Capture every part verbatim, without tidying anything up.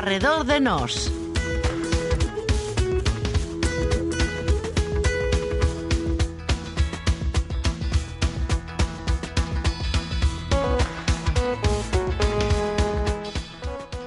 Arredor de Nós.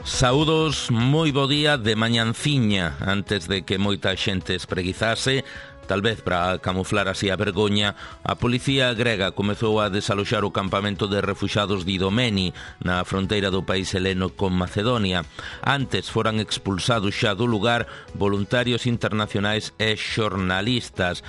Saúdos, moi bo día de mañanciña, antes de que moita xente espreguizase. Tal vez para camuflar así a vergoña, a policía grega comezou a desaloxar o campamento de refuxados de Idomeni, na fronteira do país heleno con Macedonia. Antes foran expulsados xa do lugar voluntarios internacionais e xornalistas.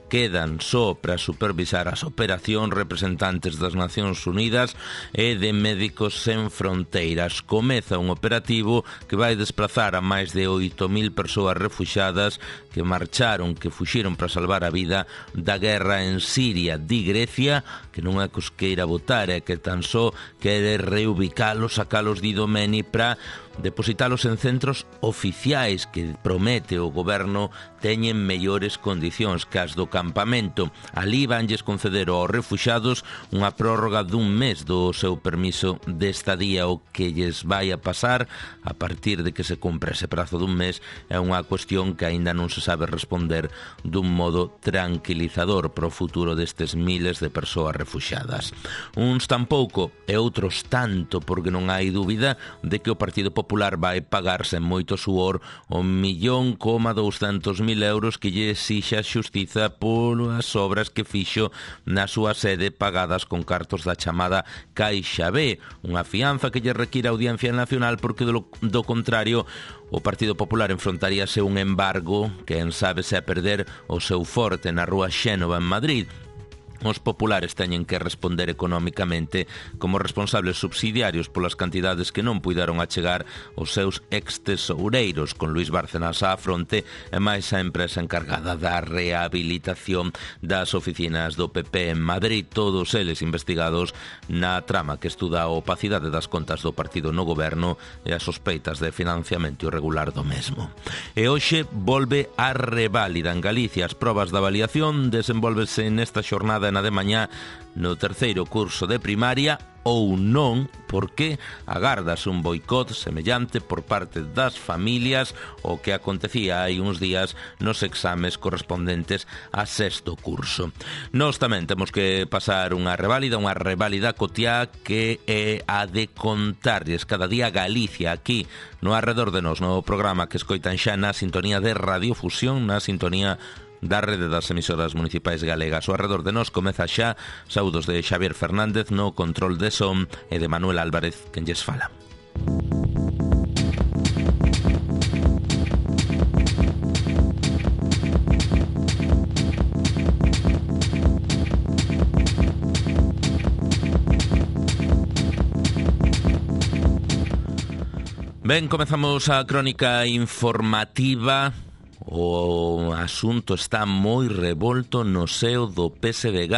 Quedan só para supervisar as operacións representantes das Nacións Unidas e de Médicos Sen Fronteiras. Comeza un operativo que vai desplazar a máis de oito mil persoas refuxadas que marcharon, que fuxiron para salvar a vida da guerra en Siria. Di Grecia que non é que os queira votar, é que tan só quere reubicalos, sacalos de Idomeni para depositalos en centros oficiais que promete o goberno teñen mellores condicións que as do campamento. Alí vanlles conceder aos refuxados unha prórroga dun mes do seu permiso de estadía. O que lles vai a pasar a partir de que se cumpra ese prazo dun mes é unha cuestión que aínda non se sabe responder dun modo tranquilizador para o futuro destes miles de persoas refuxadas. Uns tampouco e outros tanto, porque non hai dúbida de que o Partido Popular vai pagarse en moito suor o millón coma douscentos mil euros que lle exixa a xustiza polas obras que fixo na súa sede pagadas con cartos da chamada Caixa B, unha fianza que lle require a Audiencia Nacional porque do, do contrario o Partido Popular enfrontaríase un embargo que en sabe se a perder o seu forte na rúa Xénova en Madrid. Os populares teñen que responder económicamente como responsables subsidiarios polas cantidades que non puidaron achegar os seus ex-tesoureiros, con Luís Bárcenas á fronte e máis a empresa encargada da rehabilitación das oficinas do P P en Madrid, todos eles investigados na trama que estuda a opacidade das contas do partido no goberno e as sospeitas de financiamento irregular do mesmo. E hoxe volve a reválida en Galicia. As probas da avaliación desenvolvese nesta xornada na de mañá no terceiro curso de primaria ou non, porque agárdase un boicot semellante por parte das familias o que acontecía hai uns días nos exames correspondentes a sexto curso. Nós tamén temos que pasar unha reválida, unha reválida cotiá que é a de contarlles cada día Galicia aquí no Arredor de Nós, no programa que escoitan xa na sintonía de Radiofusión, na sintonía da rede das emisoras municipais galegas. O Arredor de Nós comeza xa. Saúdos de Xavier Fernández no control de son e de Manuel Álvarez, quen lles fala. Ben, comezamos a crónica informativa. O asunto está moi revolto no seo do P S D G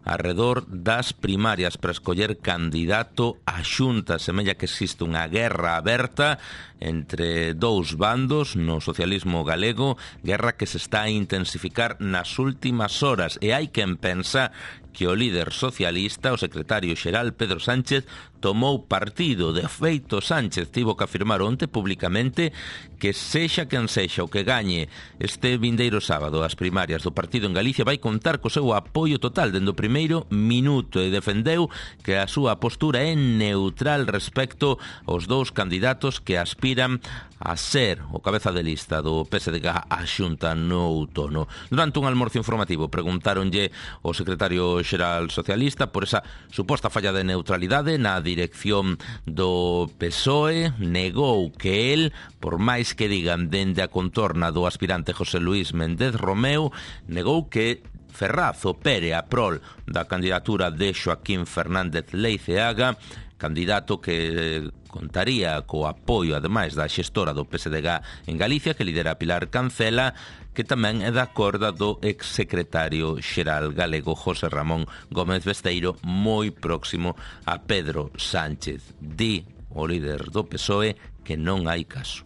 arredor das primarias para escoller candidato á Xunta. Semella que existe unha guerra aberta entre dous bandos no socialismo galego, guerra que se está a intensificar nas últimas horas, e hai quen pensa que o líder socialista, o secretario xeral Pedro Sánchez, tomou partido. De feito, Sánchez tivo que afirmar onte públicamente que sexa quen sexa o que gañe este vindeiro sábado as primarias do partido en Galicia vai contar co seu apoio total dende o primeiro minuto, e defendeu que a súa postura é neutral respecto aos dous candidatos que aspiran a ser o cabeza de lista do P S D G á Xunta no outono. Durante un almorzo informativo preguntáronlle o secretario xeral socialista por esa suposta falla de neutralidade na dirección do P S O E. Negou que el, por máis que digan dende a contorna do aspirante José Luís Méndez Romeu, negou que Ferraz opere a prol da candidatura de Joaquín Fernández Leiceaga, candidato que contaría co apoio, ademais da xestora do P S D G en Galicia, que lidera Pilar Cancela, que tamén é da corda do exsecretario xeral galego José Ramón Gómez Besteiro, moi próximo a Pedro Sánchez. Di o líder do P S O E que non hai caso.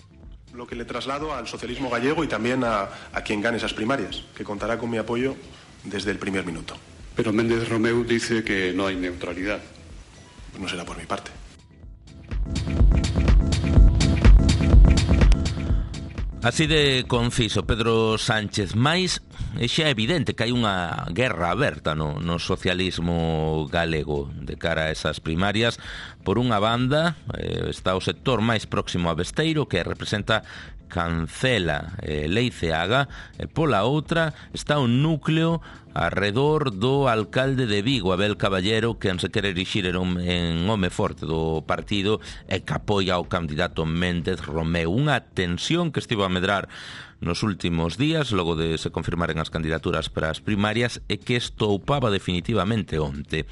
Lo que le traslado al socialismo gallego y también a, a quien gane esas primarias, que contará con mi apoyo desde el primer minuto. Pero Méndez Romeu dice que no hay neutralidad. Pues no será por mi parte. Así de conciso Pedro Sánchez, mais é xa evidente que hai unha guerra aberta no, no socialismo galego de cara a esas primarias. Por unha banda eh, está o sector máis próximo a Besteiro, que representa Cancela e Leiceaga, e pola outra está un núcleo arredor do alcalde de Vigo, Abel Caballero, que se quere erixir en home forte do partido e que apoia ao candidato Méndez Romeu. Unha tensión que estivo a medrar nos últimos días, logo de se confirmaren as candidaturas para as primarias, e que estoupaba definitivamente onte.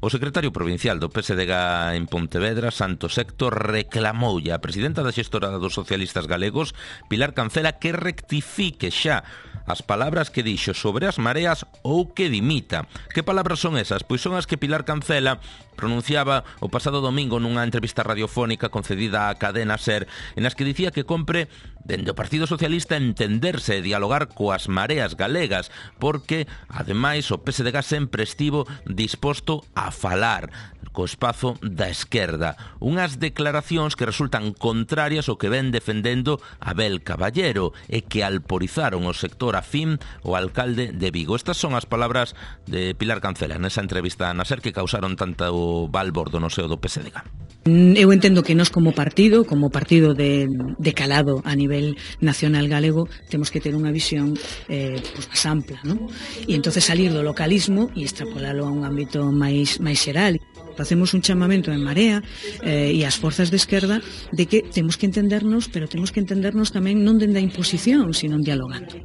O secretario provincial do P S D G en Pontevedra, Santos Héctor, reclamoulle a presidenta da xestora dos socialistas galegos, Pilar Cancela, que rectifique xa as palabras que dixo sobre as mareas ou que dimita. Que palabras son esas? Pois son as que Pilar Cancela pronunciaba o pasado domingo nunha entrevista radiofónica concedida á cadena SER, en as que dicía que compre dende o Partido Socialista entenderse e dialogar coas mareas galegas, porque, ademais, o P S D G sempre estivo disposto a falar co espazo da esquerda. Unhas declaracións que resultan contrarias ao que ven defendendo Abel Caballero e que alporizaron o sector afín o alcalde de Vigo. Estas son as palabras de Pilar Cancela nesa entrevista na SER que causaron tanto balbordo no seo do P S D G. Eu entendo que nós como partido, como partido de, de calado a nivel nacional galego, temos que ter unha visión eh, pues, máis ampla, ¿no? E entonces salir do localismo e extrapolarlo a un ámbito máis, máis xeral. Facemos un chamamento en Marea eh, e as forzas de esquerda de que temos que entendernos, pero temos que entendernos tamén non dende a imposición, sino dialogando.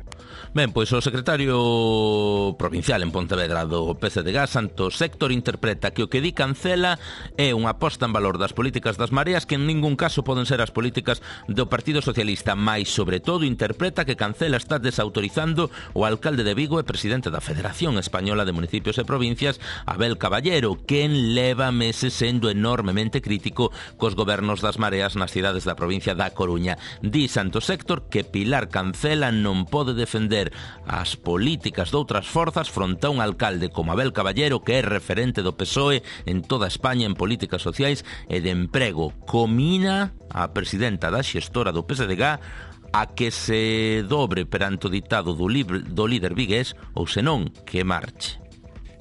Ben, pois o secretario provincial en Pontevedra do P S D G, Santos Héctor, interpreta que o que di Cancela é unha posta en valor das políticas das mareas que en ningún caso poden ser as políticas do Partido Socialista, mais sobre todo interpreta que Cancela está desautorizando o alcalde de Vigo e presidente da Federación Española de Municipios e Provincias, Abel Caballero, quen leva meses sendo enormemente crítico cos gobernos das mareas nas cidades da provincia da Coruña. Di Santos Héctor que Pilar Cancela non pode defender as políticas de outras forzas fronte a un alcalde como Abel Caballero, que é referente do P S O E en toda España en políticas sociais e de emprego. Comina a presidenta da xestora do P S D G a que se dobre perante o ditado do, libre, do líder vigués ou senón que marche.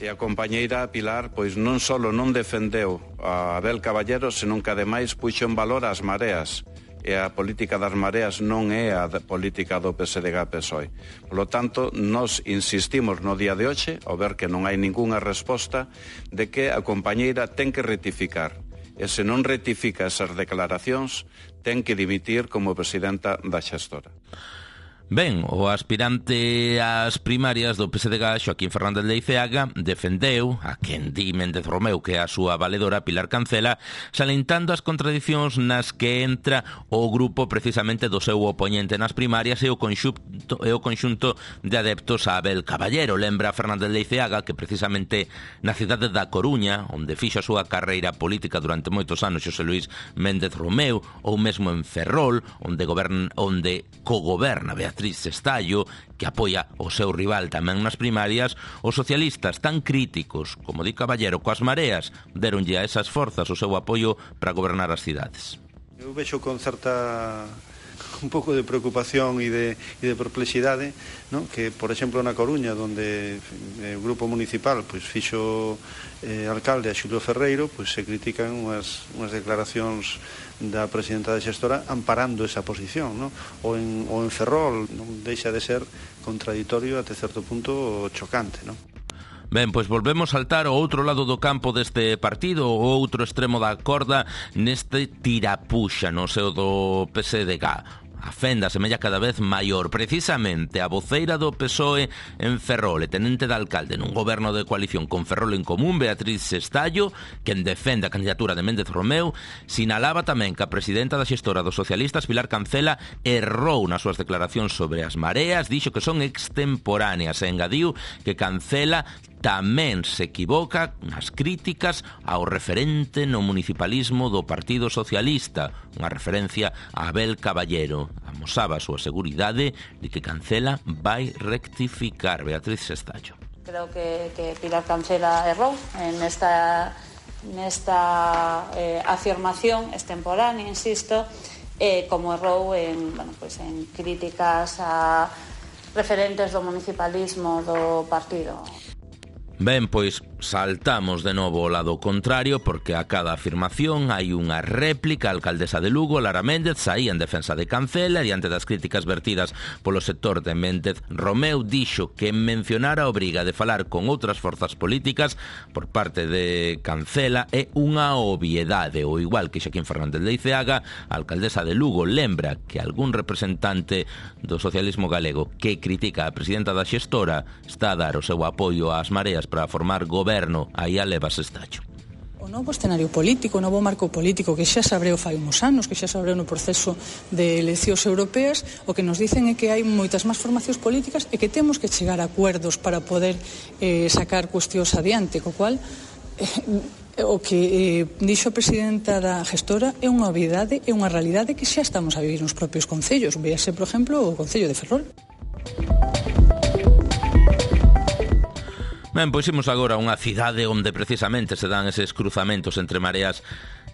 E a compañeira Pilar pois non só non defendeu a Abel Caballero, senón que ademais puxo en valor as mareas. E a política das mareas non é a política do P S D G P S O E. Por lo tanto, nós insistimos no día de hoxe, ao ver que non hai ningunha resposta, de que a compañeira ten que rectificar. E se non rectifica esas declaracións, ten que dimitir como presidenta da xestora. Ben, o aspirante ás primarias do P S D G, Xoaquín Fernández Leiceaga, defendeu a quen di Méndez Romeu que é a súa valedora Pilar Cancela, salentando as contradicións nas que entra o grupo precisamente do seu opoñente nas primarias e o conxunto, e o conxunto de adeptos a Abel Caballero. Lembra Fernández Leiceaga que precisamente na cidade da Coruña, onde fixo a súa carreira política durante moitos anos Xosé Luís Méndez Romeu, ou mesmo en Ferrol, onde, goberna, onde cogoberna Beatriz Beatriz Estallo, que apoia o seu rival tamén nas primarias, os socialistas tan críticos como di Caballero coas mareas deronlle a esas forzas o seu apoio para gobernar as cidades. Eu vexo con certa un pouco de preocupación e de, e de perplexidade, ¿no? Que, por exemplo, na Coruña, onde o grupo municipal pois, fixo eh, alcalde a Xulio Ferreiro, pois, se critican unhas, unhas declaracións da presidenta da xestora amparando esa posición, ¿no? Ou en, ou en Ferrol non deixa de ser contradictorio até certo punto chocante, ¿no? Ben, pois volvemos a saltar ao outro lado do campo deste partido, o outro extremo da corda neste tirapuxa no seo do P S D G. A fenda semella cada vez maior. Precisamente a voceira do P S O E en Ferrol e tenente de alcalde nun goberno de coalición con Ferrol en común, Beatriz Estallo, quen defende a candidatura de Méndez Romeu, sinalaba tamén que a presidenta da xestora dos socialistas, Pilar Cancela, errou nas súas declaracións sobre as mareas, dixo que son extemporáneas e engadiu que Cancela tamén se equivoca nas críticas ao referente no municipalismo do Partido Socialista, unha referencia a Abel Caballero. Amosaba a súa seguridade de que Cancela vai rectificar. Beatriz Estallo. Creo que, que Pilar Cancela errou en esta, nesta eh, afirmación extemporánea, insisto, eh, como errou en, bueno, pues en críticas a referentes do municipalismo do partido. Ben, pois saltamos de novo ao lado contrario porque a cada afirmación hai unha réplica. A alcaldesa de Lugo, Lara Méndez, saía en defensa de Cancela diante das críticas vertidas polo sector de Méndez Romeu. Dixo que mencionar a obriga de falar con outras forzas políticas por parte de Cancela é unha obviedade. O igual que Xaquín Fernández Leiceaga, a alcaldesa de Lugo lembra que algún representante do socialismo galego que critica a presidenta da xestora está a dar o seu apoio ás mareas para formar goberno. Aí a levas estacho. O novo escenario político, o novo marco político que xa se abreu fai uns anos, que xa se abreu no proceso de eleccións europeas, o que nos dicen é que hai moitas máis formacións políticas e que temos que chegar a acuerdos para poder eh, sacar cuestións adiante, co cual eh, o que eh, dixo a presidenta da gestora é unha obviedade, é unha realidade que xa estamos a vivir nos propios concellos. Véase, por exemplo, o Concello de Ferrol. Ben, pois imos agora a unha cidade onde precisamente se dan eses cruzamentos entre mareas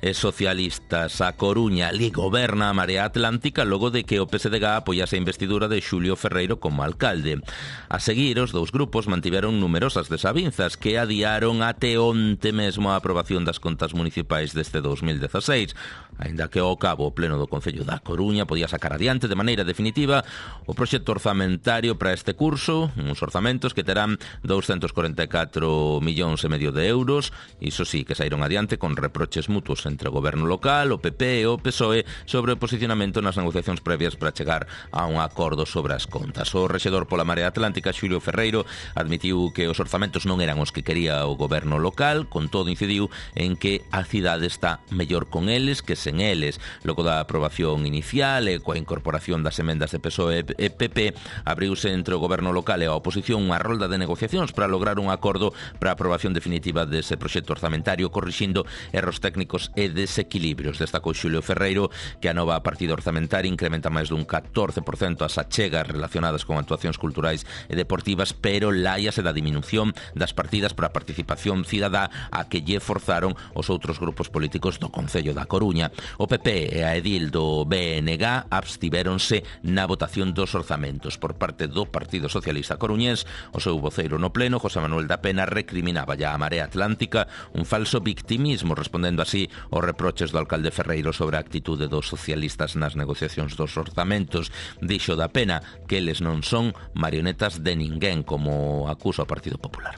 e socialistas. A Coruña ali goberna a Marea Atlántica logo de que o P S D G apoiase a investidura de Xulio Ferreiro como alcalde. A seguir, os dous grupos mantiveron numerosas desavinzas que adiaron até onte mesmo a aprobación das contas municipais deste dos mil dezaseis, aínda que ao cabo o Pleno do Concello da Coruña podía sacar adiante de maneira definitiva o proxecto orzamentario para este curso, uns orzamentos que terán doscientos cuarenta e catro millóns e medio de euros. Iso sí, que saíron adiante con reproches mutuos entre o goberno local, o P P e o P S O E sobre o posicionamento nas negociacións previas para chegar a un acordo sobre as contas. O rexedor pola Marea Atlántica, Xulio Ferreiro, admitiu que os orzamentos non eran os que quería o goberno local, con todo incidiu en que a cidade está mellor con eles que sen eles. Logo da aprobación inicial e coa incorporación das emendas de P S O E e P P, abriuse entre o goberno local e a oposición unha rolda de negociacións para lograr un acordo para a aprobación definitiva dese proxecto orzamentario, corrixindo erros técnicos e desequilibrios. Destacou Xulio Ferreiro que a nova partida orzamentaria incrementa máis dun catorce por cento as achegas relacionadas con actuacións culturais e deportivas, pero láiase da diminución das partidas para a participación cidadá a que lle forzaron os outros grupos políticos do Concello da Coruña. O P P e a edil do B N G abstivéronse na votación dos orzamentos. Por parte do Partido Socialista Coruñés, o seu voceiro no Pleno, José Manuel da Pena, recriminaba ya a Marea Atlántica un falso victimismo, respondendo así os reproches do alcalde Ferreiro sobre a actitude dos socialistas nas negociacións dos orzamentos. Dixo da Pena que eles non son marionetas de ninguén, como acusa o Partido Popular.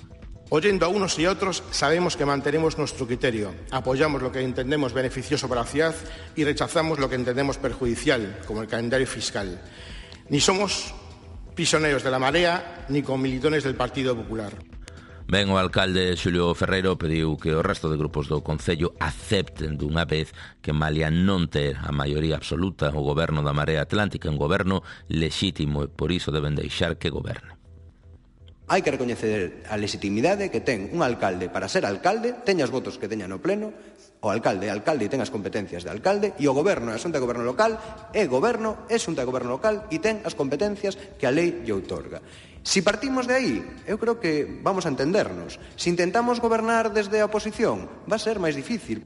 Oyendo a unos y a otros, sabemos que mantenemos nuestro criterio, apoyamos lo que entendemos beneficioso para la ciudad y rechazamos lo que entendemos perjudicial, como el calendario fiscal. Ni somos prisioneros de la marea, ni comilitones del Partido Popular. Ben, o alcalde Xulio Ferreiro pediu que o resto de grupos do Concello acepten dunha vez que malia non ter a maioría absoluta o goberno da Marea Atlántica, un goberno lexítimo, e por iso deben deixar que goberne. Hai que recoñecer a legitimidade que ten un alcalde para ser alcalde, teña os votos que teña no pleno, o alcalde é alcalde e ten as competencias de alcalde, e o goberno é a Xunta de Goberno Local, é goberno, é Xunta de Goberno Local e ten as competencias que a lei lle outorga. Si partimos de aí, eu creo que vamos a entendernos. Si intentamos gobernar desde a oposición, va a ser máis difícil.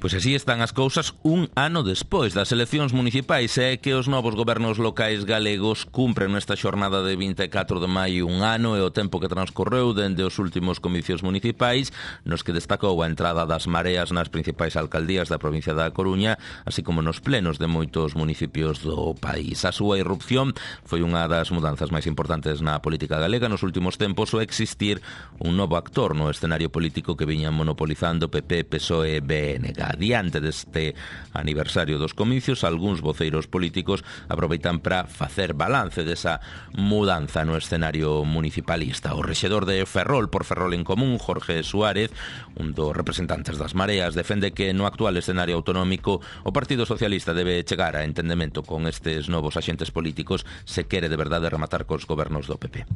Pois así están as cousas un ano despois das eleccións municipais, e que os novos gobernos locais galegos cumpren nesta xornada de vinte e catro de maio un ano e o tempo que transcorreu dende os últimos comicios municipais, nos que destacou a entrada das mareas nas principais alcaldías da provincia da Coruña, así como nos plenos de moitos municipios do país. A súa irrupción foi unha das mudanzas máis importantes na política galega nos últimos tempos, o existir un novo actor no escenario político que viñan monopolizando P P, P S O E e B N G. Diante deste aniversario dos comicios, algúns voceiros políticos aproveitan para facer balance desa mudanza no escenario municipalista. O rexedor de Ferrol por Ferrol en Común, Jorge Suárez, un dos representantes das mareas, defende que no actual escenario autonómico o Partido Socialista debe chegar a entendemento con estes novos axentes políticos se quere de verdade rematar cos gobernos do P P.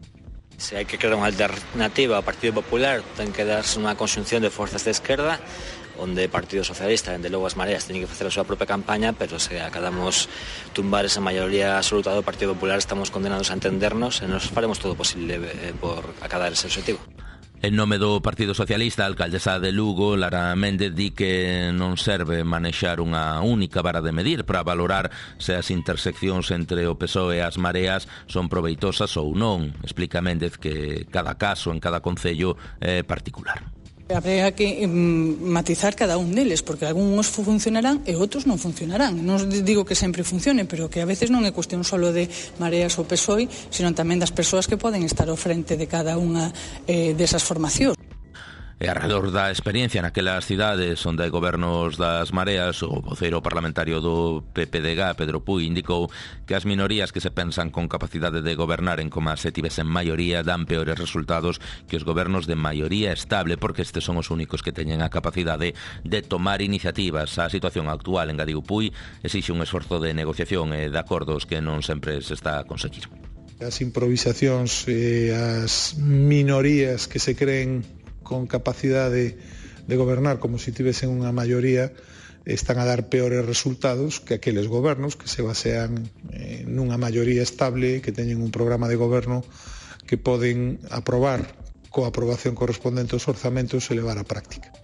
Se hai que crear unha alternativa ao Partido Popular, ten que darse unha conxunción de forzas de esquerda, onde o Partido Socialista, dende logo as mareas, teñen que facer a súa propia campaña, pero se acadamos tumbar esa maioría absoluta do Partido Popular, estamos condenados a entendernos e nos faremos todo o posible por acadar ese objetivo. En nome do Partido Socialista, a alcaldesa de Lugo, Lara Méndez, di que non serve manexar unha única vara de medir para valorar se as interseccións entre o P S O E e as mareas son proveitosas ou non. Explica Méndez que cada caso en cada concello é particular. Habría que mm, matizar cada un deles, porque algúns funcionarán e outros non funcionarán. Non digo que sempre funcionen, pero que a veces non é cuestión solo de Mareas ou P S O E, sino tamén das persoas que poden estar ao frente de cada unha eh, desas formacións. E alrededor da experiencia naquelas cidades onde hai gobernos das mareas, o voceiro parlamentario do P P D G, Pedro Puy, indicou que as minorías que se pensan con capacidade de gobernar en como se tivesen maioría dan peores resultados que os gobernos de maioría estable, porque estes son os únicos que teñen a capacidade de tomar iniciativas. A situación actual, engadiu Puy, exixe un esforzo de negociación e de acordos que non sempre se está a conseguir. As improvisacións e as minorías que se creen con capacidade de gobernar como se tivesen unha maioría están a dar peores resultados que aqueles gobernos que se basean eh, nunha maioría estable, que teñen un programa de goberno que poden aprobar coa aprobación correspondente aos orzamentos e levar á práctica.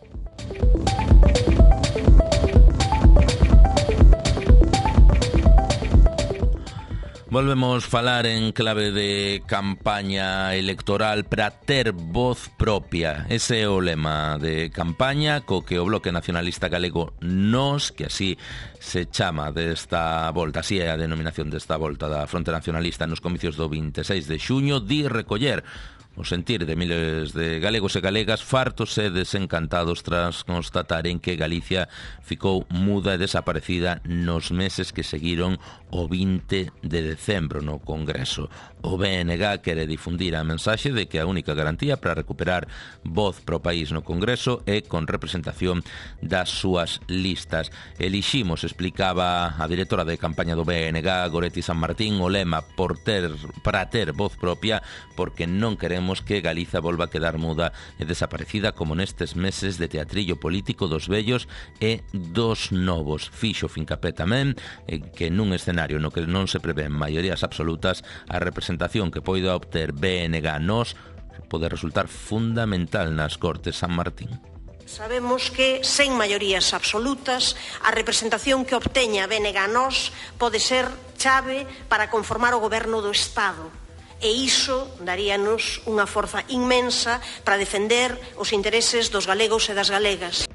Volvemos falar en clave de campaña electoral para ter voz propia. Ese é o lema de campaña co que o Bloque Nacionalista Galego Nós, que así se chama desta volta, así é a denominación desta volta da Fronte Nacionalista nos comicios do vinte e seis de xuño, di recoller o sentir de miles de galegos e galegas fartos e desencantados tras constataren que Galicia ficou muda e desaparecida nos meses que seguiron o vinte de decembro no Congreso. O B N G quere difundir a mensaxe de que a única garantía para recuperar voz pro país no Congreso é con representación das súas listas. Eliximos, explicaba a directora de campaña do B N G, Goretti San Martín, o lema por ter, para ter voz propia, porque non queremos que Galiza volva a quedar muda e desaparecida como nestes meses de teatrillo político dos vellos e dos novos. Fixo fincapé tamén que nun escenario no que non se prevén maiorías absolutas, a representación que poida obter B N G Nós pode resultar fundamental nas Cortes San Martín. Sabemos que, sen maiorías absolutas, a representación que obteña B N G Nós pode ser chave para conformar o goberno do Estado. E iso daríanos unha forza inmensa para defender os intereses dos galegos e das galegas.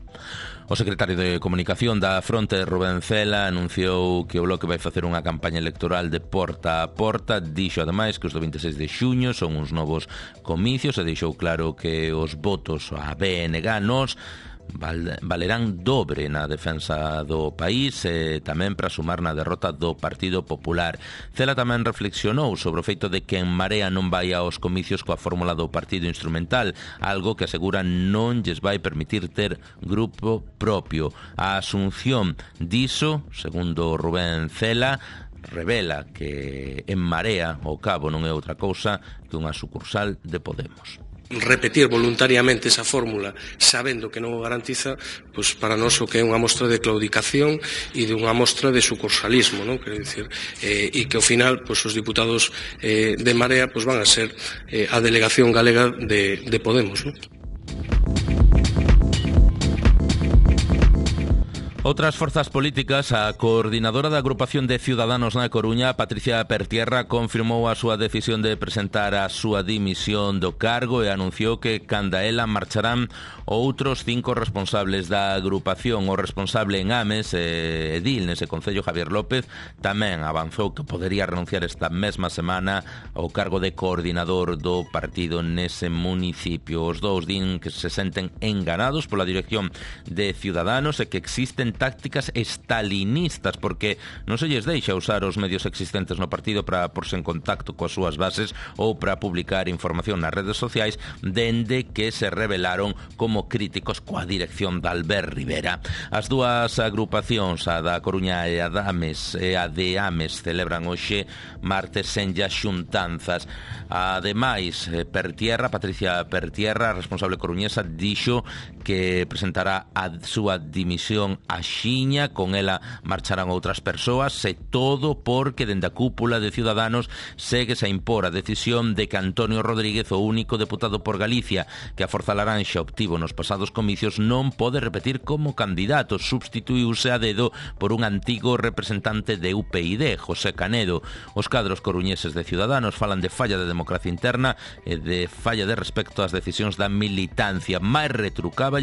O secretario de Comunicación da Fronte, Rubén Cela, anunciou que o Bloque vai facer unha campaña electoral de porta a porta. Dixo, ademais, que os do vinte e seis de xuño son uns novos comicios e deixou claro que os votos a B N G Nós valerán dobre na defensa do país e tamén para sumar na derrota do Partido Popular. Cela tamén reflexionou sobre o feito de que En Marea non vai aos comicios coa fórmula do partido instrumental, algo que asegura non lles vai permitir ter grupo propio. A asunción diso, segundo Rubén Cela, revela que En Marea, ao cabo, non é outra cousa que unha sucursal de Podemos. Repetir voluntariamente esa fórmula sabendo que non o garantiza, pois para nós o que é unha mostra de claudicación e de unha mostra de sucursalismo, non? Quero dicir, eh, e que ao final pois os diputados eh, de Marea pois van a ser eh, a delegación galega de, de Podemos, non? Outras forzas políticas, a coordinadora da agrupación de Ciudadanos na Coruña, Patricia Pertierra, confirmou a súa decisión de presentar a súa dimisión do cargo e anunciou que canda ela marcharán outros cinco responsables da agrupación. O responsable en Ames, eh, edil nese concello, Javier López, tamén avanzou que podería renunciar esta mesma semana ao cargo de coordinador do partido nese municipio. Os dous din que se senten enganados pola dirección de Ciudadanos e que existen tácticas estalinistas porque non se lles deixa usar os medios existentes no partido para porse en contacto coas súas bases ou para publicar información nas redes sociais, dende que se revelaron como críticos coa dirección de Albert Rivera. As dúas agrupacións, a da Coruña e a de Ames, e a de Ames, celebran hoxe martes sen ya xuntanzas. Ademais, Pertierra, Patricia Pertierra, responsable coruñesa, dixo que presentará a súa dimisión axiña, con ela marcharán outras persoas, e todo porque dende a cúpula de Ciudadanos séguese a impor a decisión de que Antonio Rodríguez, o único deputado por Galicia que a Forza Laranxa obtivo nos pasados comicios, non pode repetir como candidato. Substituíuse a dedo por un antigo representante de U P I D, José Canedo. Os cadros coruñeses de Ciudadanos falan de falla de democracia interna e de falla de respecto ás decisións da militancia. Máis retrucáballes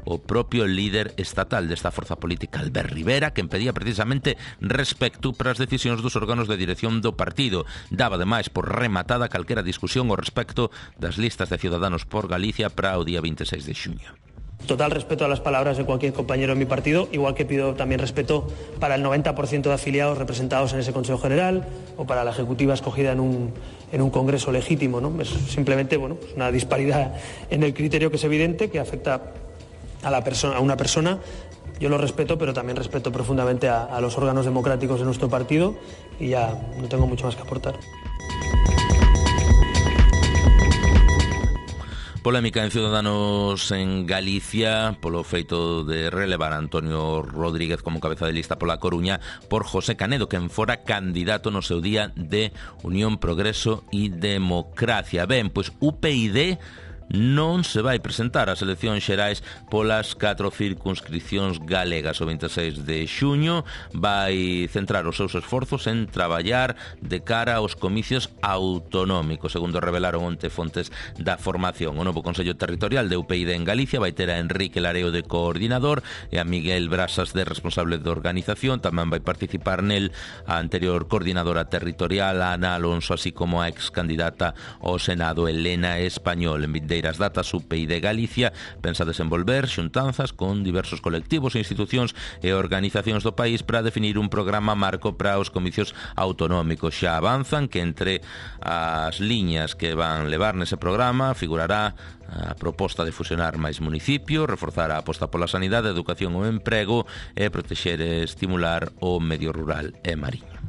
o propio líder estatal desta forza política, Albert Rivera, que impedía precisamente respecto para as decisións dos órganos de dirección do partido. Daba ademais por rematada calquera discusión ao respecto das listas de Ciudadanos por Galicia para o día veintiséis de xuño. Total respeto a las palabras de cualquier compañero de mi partido, igual que pido también respeto para el noventa por ciento de afiliados representados en ese Consejo General o para la ejecutiva escogida en un, en un congreso legítimo, ¿no? Es simplemente, bueno, pues una disparidad en el criterio que es evidente, que afecta a, la persona, a una persona. Yo lo respeto, pero también respeto profundamente a, a los órganos democráticos de nuestro partido y ya no tengo mucho más que aportar. Polémica en Ciudadanos en Galicia polo feito de relevar a Antonio Rodríguez como cabeza de lista pola Coruña por José Canedo, quen fora candidato no seu día de Unión, Progreso e Democracia. Ben, pois U P I D non se vai presentar ás eleccións xerais polas catro circunscripcións galegas. O veintiséis de xuño vai centrar os seus esforzos en traballar de cara aos comicios autonómicos, segundo revelaron onte fontes da formación. O novo Consello Territorial de U P I D en Galicia vai ter a Enrique Lareo de coordinador e a Miguel Brasas de responsable de organización. Tamén vai participar nel a anterior coordinadora territorial Ana Alonso, así como a ex candidata ao Senado Elena Español. En vindeira as datas, U P I D Galicia pensa desenvolver xuntanzas con diversos colectivos, institucións e organizacións do país para definir un programa marco para os comicios autonómicos. Xa avanzan que entre as liñas que van levar nese programa figurará a proposta de fusionar máis municipios, reforzar a aposta pola sanidade, educación ou emprego e protexer e estimular o medio rural e mariño.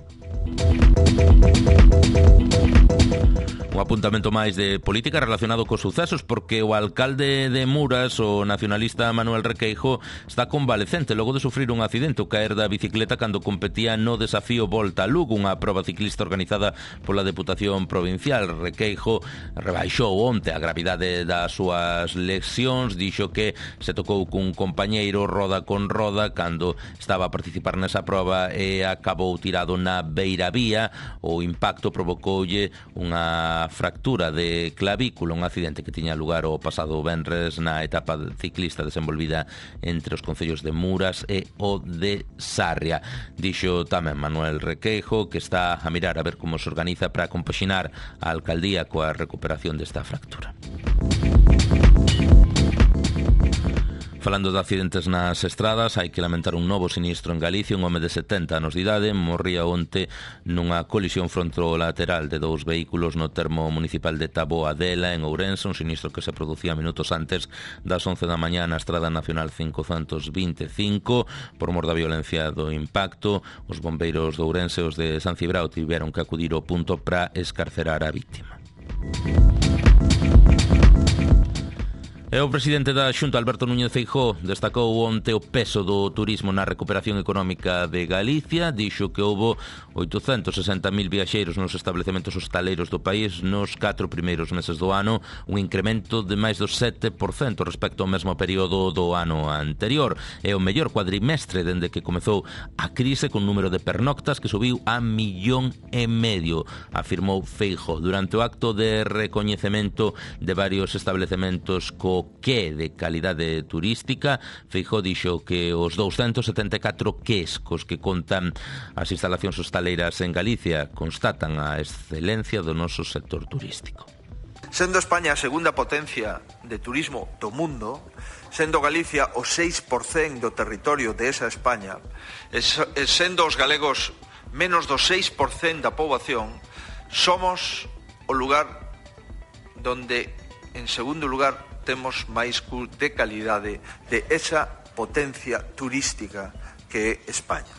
Un apuntamento máis de política relacionado cos sucesos, porque o alcalde de Muras, o nacionalista Manuel Requeijo, está convalecente logo de sufrir un accidente ao caer da bicicleta cando competía no desafío Volta a Lugo, unha proba ciclista organizada pola Deputación Provincial. Requeijo rebaixou onte a gravidade das súas lesións, dixo que se tocou cun compañeiro roda con roda cando estaba a participar nesa proba e acabou tirado na beiravía. O impacto provocoulle unha fractura de clavícula, un accidente que tiña lugar o pasado venres na etapa ciclista desenvolvida entre os concellos de Muras e o de Sarria. Dixo tamén Manuel Requeijo que está a mirar a ver como se organiza para compaxinar a alcaldía coa recuperación desta fractura. Falando de accidentes nas estradas, hai que lamentar un novo sinistro en Galicia. Un home de setenta anos de idade morría onte nunha colisión frontolateral de dous vehículos no termo municipal de Taboadela, en Ourense, un sinistro que se producía minutos antes das once da mañá na Estrada Nacional cincocentos veinticinco. Por mor da violencia do impacto, os bombeiros de Ourense e os de San Cibrao tiveron que acudir ao punto para escarcerar a vítima. E o presidente da Xunta, Alberto Núñez Feijóo, destacou onte o peso do turismo na recuperación económica de Galicia. Dixo que houbo oitocentos sesenta mil viaxeiros nos establecementos hostaleiros do país nos catro primeiros meses do ano, un incremento de máis do sete por cento respecto ao mesmo período do ano anterior. É o mellor cuadrimestre dende que comezou a crise, con número de pernoctas que subiu a millón e medio, afirmou Feijóo durante o acto de recoñecemento de varios establecementos co que de calidade turística. Feijóo dixo que os douscentos setenta e catro quescos que contan as instalacións hostaleiras en Galicia constatan a excelencia do noso sector turístico. Sendo España a segunda potencia de turismo do mundo, sendo Galicia o seis por cento do territorio de esa España, e sendo os galegos menos do seis por cento da poboación, somos o lugar donde, en segundo lugar, temos máis de calidade de esa potencia turística que é España.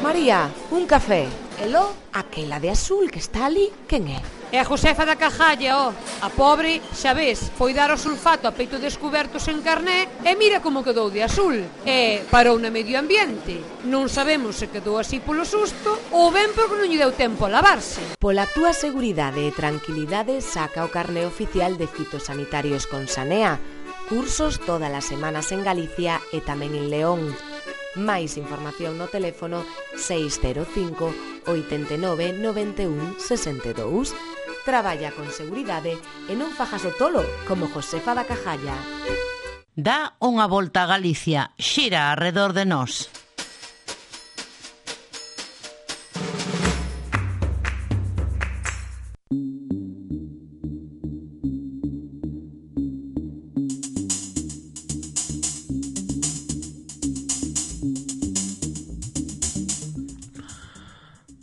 María, un café. Elo, aquela de azul que está ali, quen é? É a Josefa da Cajalla, ó. A pobre, xa ves, foi dar o sulfato a peito descuberto sen carné e mira como quedou de azul. E parou na medio ambiente. Non sabemos se quedou así polo susto ou ben porque non lle deu tempo a lavarse. Pola túa seguridade e tranquilidade, saca o carné oficial de fitosanitarios con Sanea. Cursos todas as semanas en Galicia e tamén en León. Máis información no teléfono seis cero cinco, oito nove, nove un, seis dous. Traballa con seguridade e non fajas o tolo como Josefa da Cajalla. Dá unha volta a Galicia, xira arredor de nós.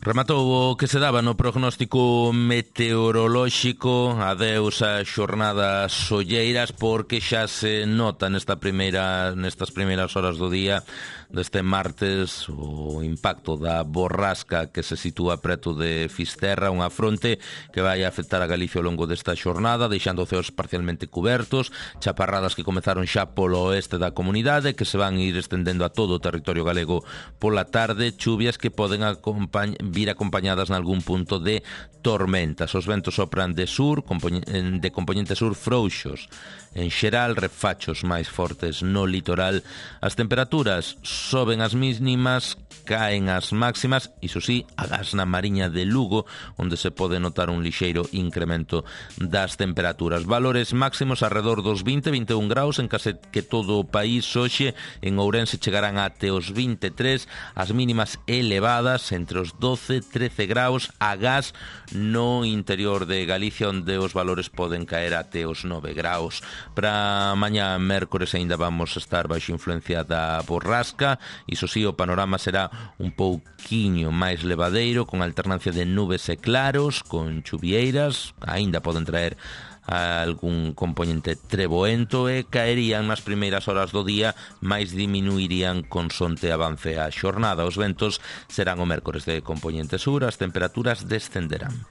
Rematou o que se daba no prognóstico meteorolóxico. Adeus a xornadas solleiras porque xa se nota nesta primeira, nestas primeiras horas do día deste martes o impacto da borrasca que se sitúa preto de Fisterra, unha fronte que vai afectar a Galicia ao longo desta xornada, deixando ceos parcialmente cubertos, chaparradas que comezaron xa polo oeste da comunidade, que se van ir estendendo a todo o territorio galego pola tarde, chuvias que poden acompañ- vir acompañadas nalgún punto de tormentas. Os ventos sopran de sur, de componente sur frouxos, en xeral refachos máis fortes no litoral. As temperaturas soben as mínimas, caen as máximas, iso sí, agás na Mariña de Lugo, onde se pode notar un lixeiro incremento das temperaturas. Valores máximos alrededor dos vinte, vinte e un graus en case que todo o país. Hoxe en Ourense chegarán até os vinte e tres, as mínimas elevadas entre os doce, trece graus, agás no interior de Galicia, onde os valores poden caer até os nove graus. Para mañá mércores aínda vamos a estar baixo influencia da borrasca. Iso sí, o panorama será un pouquiño máis levadeiro, con alternancia de nubes e claros, con chuvieiras, aínda poden traer algún componente treboento e caerían nas primeiras horas do día, máis diminuirían con sonte avance a xornada. Os ventos serán o mércores de componente sur, as temperaturas descenderán.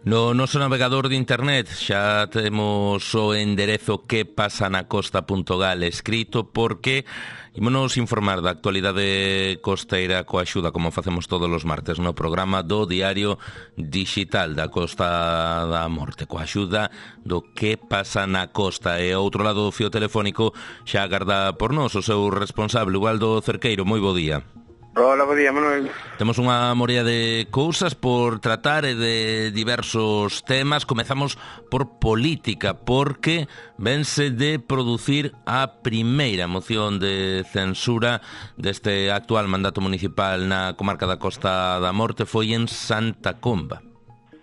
No noso navegador de internet xa temos o enderezo que pasa na costa punto gal escrito, porque ímonos informar da actualidade costeira coa axuda, como facemos todos os martes no programa do Diario Digital da Costa da Morte, coa axuda do que pasa na costa. E ao outro lado do fío telefónico xa agarda por nós o seu responsable, Ubaldo Cerqueiro. Moi bo día. Hola, bo día, Manuel. Temos unha morea de cousas por tratar e de diversos temas. Comezamos por política, porque vense de producir a primeira moción de censura deste actual mandato municipal na comarca da Costa da Morte. Foi en Santa Comba.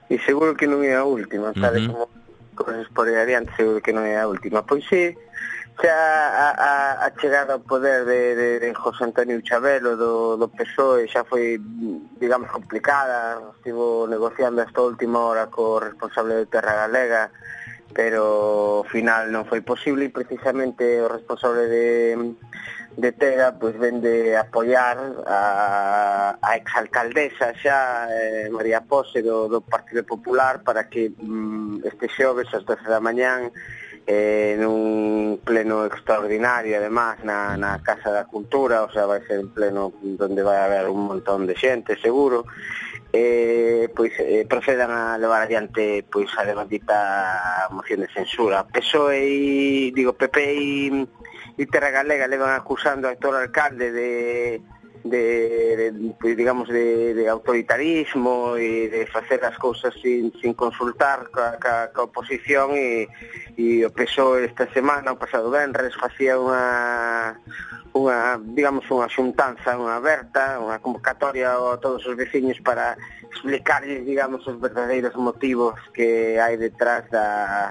E seguro que non é a última, tal uh-huh. como cosas por aí adiante, seguro que non é a última. Pois sí, xa a, a, a chegada ao poder de, de, de José Antonio Chabelo do, do P S O E xa foi, digamos, complicada. Estivo negociando hasta a última hora co responsable de Terra Galega, pero ao final non foi posible, e precisamente o responsable de, de Terra pois ven de apoiar a, a exalcaldesa xa, eh, María Pose do, do Partido Popular, para que mm, este xoves ás doce da mañán Eh, nun pleno extraordinario, además na, na Casa da Cultura, o sea, vai ser un pleno donde vai haber un montón de xente, seguro, eh, pois eh, procedan a levar adiante pois a devandita moción de censura. P S O E e, digo, P P e, e Terra Galega levan acusando ao actual alcalde de De, de, digamos, de, de autoritarismo e de facer as cousas sin, sin consultar ca, ca, ca oposición, e, e o P S O E esta semana, o pasado venres, facía unha, unha, digamos, unha xuntanza, unha aberta, unha convocatoria a todos os veciños para explicarles, digamos, os verdadeiros motivos que hai detrás da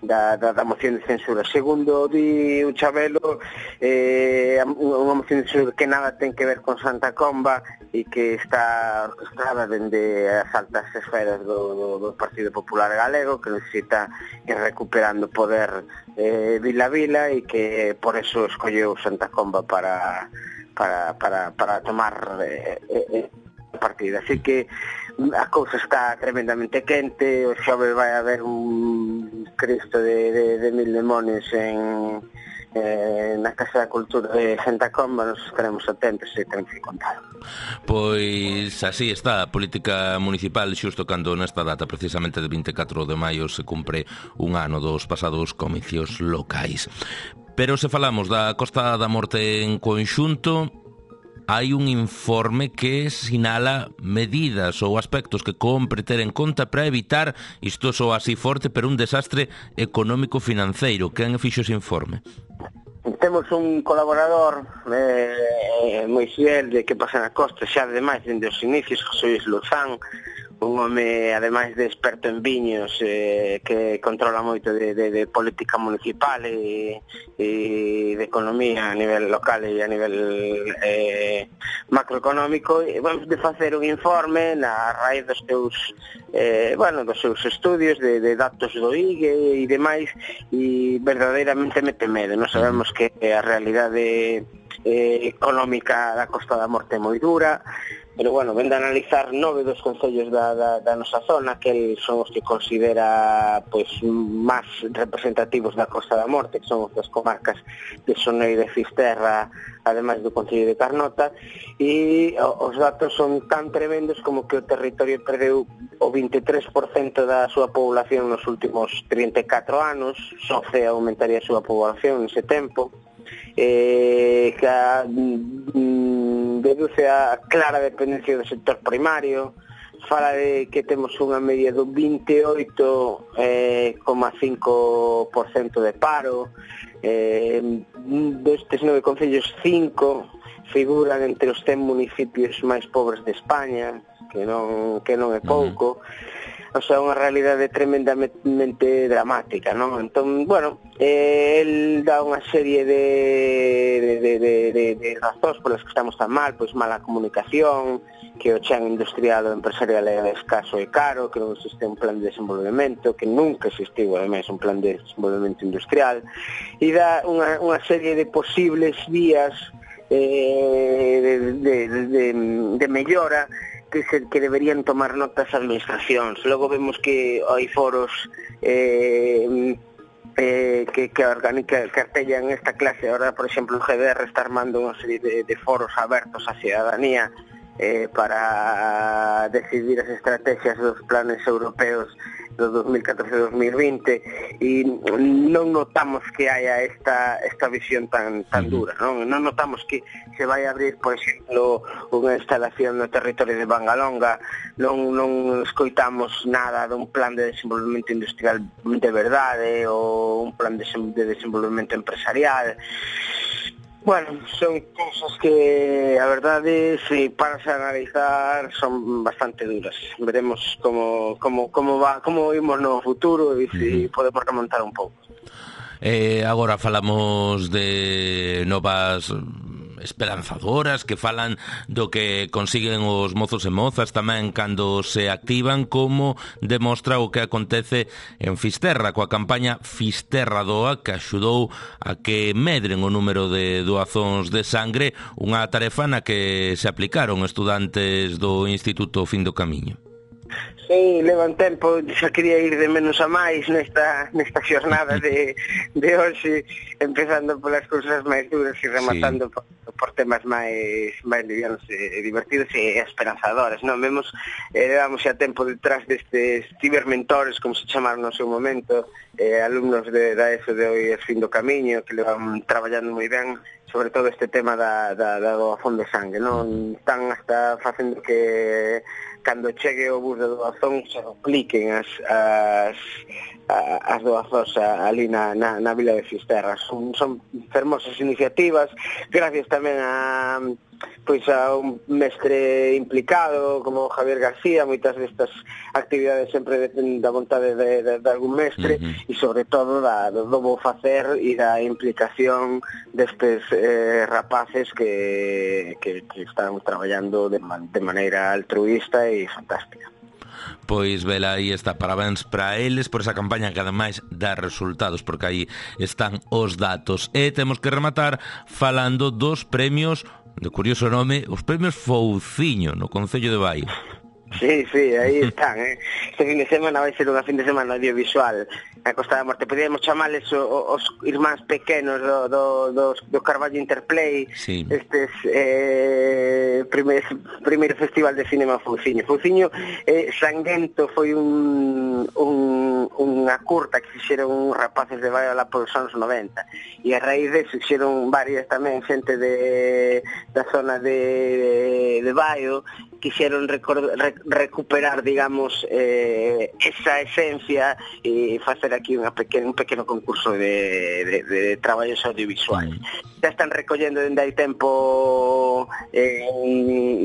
da, da, da moción de censura. Segundo, di o Chabelo, eh, unha moción de censura que nada ten que ver con Santa Comba e que está orquestrada dende as altas esferas do, do, do Partido Popular Galego, que necesita ir recuperando poder eh, vila a vila e que por eso escolleu Santa Comba para, para, para, para tomar eh, eh, partida. Así que a cousa está tremendamente quente, o xove vai haber un Cristo de, de, de mil demonios en, eh, na Casa da Cultura de Santa Comba, nos estaremos atentos e temos que contar. Pois así está a política municipal xusto cando nesta data precisamente de vinte e catro de maio se cumpre un ano dos pasados comicios locais. Pero se falamos da Costa da Morte en conxunto, hai un informe que sinala medidas ou aspectos que compre ter en conta para evitar, isto soa así forte, pero un desastre económico-financeiro. Quen fixo ese informe? Temos un colaborador eh, moi fiel de que pasa na costa, xa ademais dende os inicios, José Luis Luzán, un home, ademais de experto en viños, eh, que controla moito de, de, de política municipal e, e de economía a nivel local e a nivel eh, macroeconómico, e vamos de facer un informe na raíz dos seus eh, bueno, dos seus estudios de, de datos do I G E e demais, e verdadeiramente mete medo. Nós sabemos que a realidade eh, económica da Costa da Morte é moi dura, pero bueno, ven de analizar nove dos concellos da, da, da nosa zona, que son os que considera pois máis representativos da Costa da Morte, que son as comarcas de Soneira e Fisterra, ademais do concello de Carnota, e os datos son tan tremendos como que o territorio perdeu o vinte e tres por cento da súa población nos últimos trinta e catro anos, só Cea aumentaría a súa población nese tempo, eh, que a, mm, deduce a clara dependencia do sector primario, fala de que temos unha media do vinte e oito coma cinco por cento de paro, eh, destes nove concellos, cinco figuran entre os cen municipios máis pobres de España, que non, que non é pouco. O sea, unha realidade tremendamente dramática, non? Entón, bueno, eh, el dá unha serie de, de, de, de, de, de razóns polas que estamos tan mal, pois mala comunicación, que o chan industrial ou empresarial é escaso e caro, que non existe un plan de desenvolvemento, que nunca existiu, ademais, un plan de desenvolvemento industrial, e dá unha, unha serie de posibles vías eh, de, de, de, de mellora que se, que deberían tomar notas as administracións. Logo vemos que hai foros eh, eh, que, que organiza, que artellan esta clase. Ahora, por exemplo, o G D R está armando unha serie de, de foros abertos á cidadanía eh, para decidir as estrategias dos planes europeos do dos mil catorce a dos mil vinte, e non notamos que haya esta esta visión tan tan dura, non? Non notamos que se vai a abrir, por exemplo, unha instalación no territorio de Bangalonga, non non escoitamos nada dun plan de desenvolvemento industrial de verdade ou un plan de, de desenvolvemento empresarial. Bueno, son cousas que a verdade, se paras a analizar, son bastante duras. Veremos como como como va, como vimos no futuro e se podemos remontar un pouco. Eh, agora falamos de novas esperanzadoras que falan do que consiguen os mozos e mozas tamén cando se activan, como demostra o que acontece en Fisterra coa campaña Fisterra Doa, que axudou a que medren o número de doazóns de sangre, unha tarefa na que se aplicaron estudantes do Instituto Fin do Camiño. Sí, levan tempo, xa quería ir de menos a máis nesta, nesta xornada de, de hoxe, empezando polas cousas máis duras e rematando sí. por, por temas máis, máis livianos e divertidos e esperanzadores, non? Vemos, eh, levamos xa tempo detrás destes cibermentores, como se chamaron no seu momento, eh, alumnos de, da ESO de hoy es Fin do Camiño, que levan traballando moi ben, sobre todo este tema da, da, da doazón de sangue, non? Están hasta facendo que cando chegue o bus de doazón se dupliquen as, as, as doazóns ali na, na, na Vila de Fisterra. Son, son fermosas iniciativas, gracias tamén a pois a un mestre implicado como Javier García. Moitas destas actividades sempre dependen da vontade de, de, de algún mestre, uh-huh. e sobre todo da, do bo facer e da implicación destes eh, rapaces que, que, que están traballando de, man, de maneira altruista e fantástica. Pois vela, aí está, parabéns para eles por esa campaña que ademais dá resultados, porque aí están os datos. E temos que rematar falando dos premios, de curioso nome, os premios Fouciño no Concello de Baio. Sí, sí, aí están, eh? Este fin de semana vai ser unha fin de semana audiovisual a Costa da Morte. Podríamos chamales os irmáns pequenos do, do, do, do Carballo Interplay, sí. Estes eh, primeiro, primeiro festival de cinema Fouciño. Fouciño eh, Sanguento foi un, un, unha curta que fixeron rapaces de Baio lá polos anos noventa, e a raíz de fixeron varias tamén xente de, da zona de, de Baio, quixeron record, rec, recuperar, digamos, eh, esa esencia e facer aquí unha pequena, un pequeno concurso de, de, de traballos audiovisuais. Mm. Ya están recollendo dende hai tempo, eh,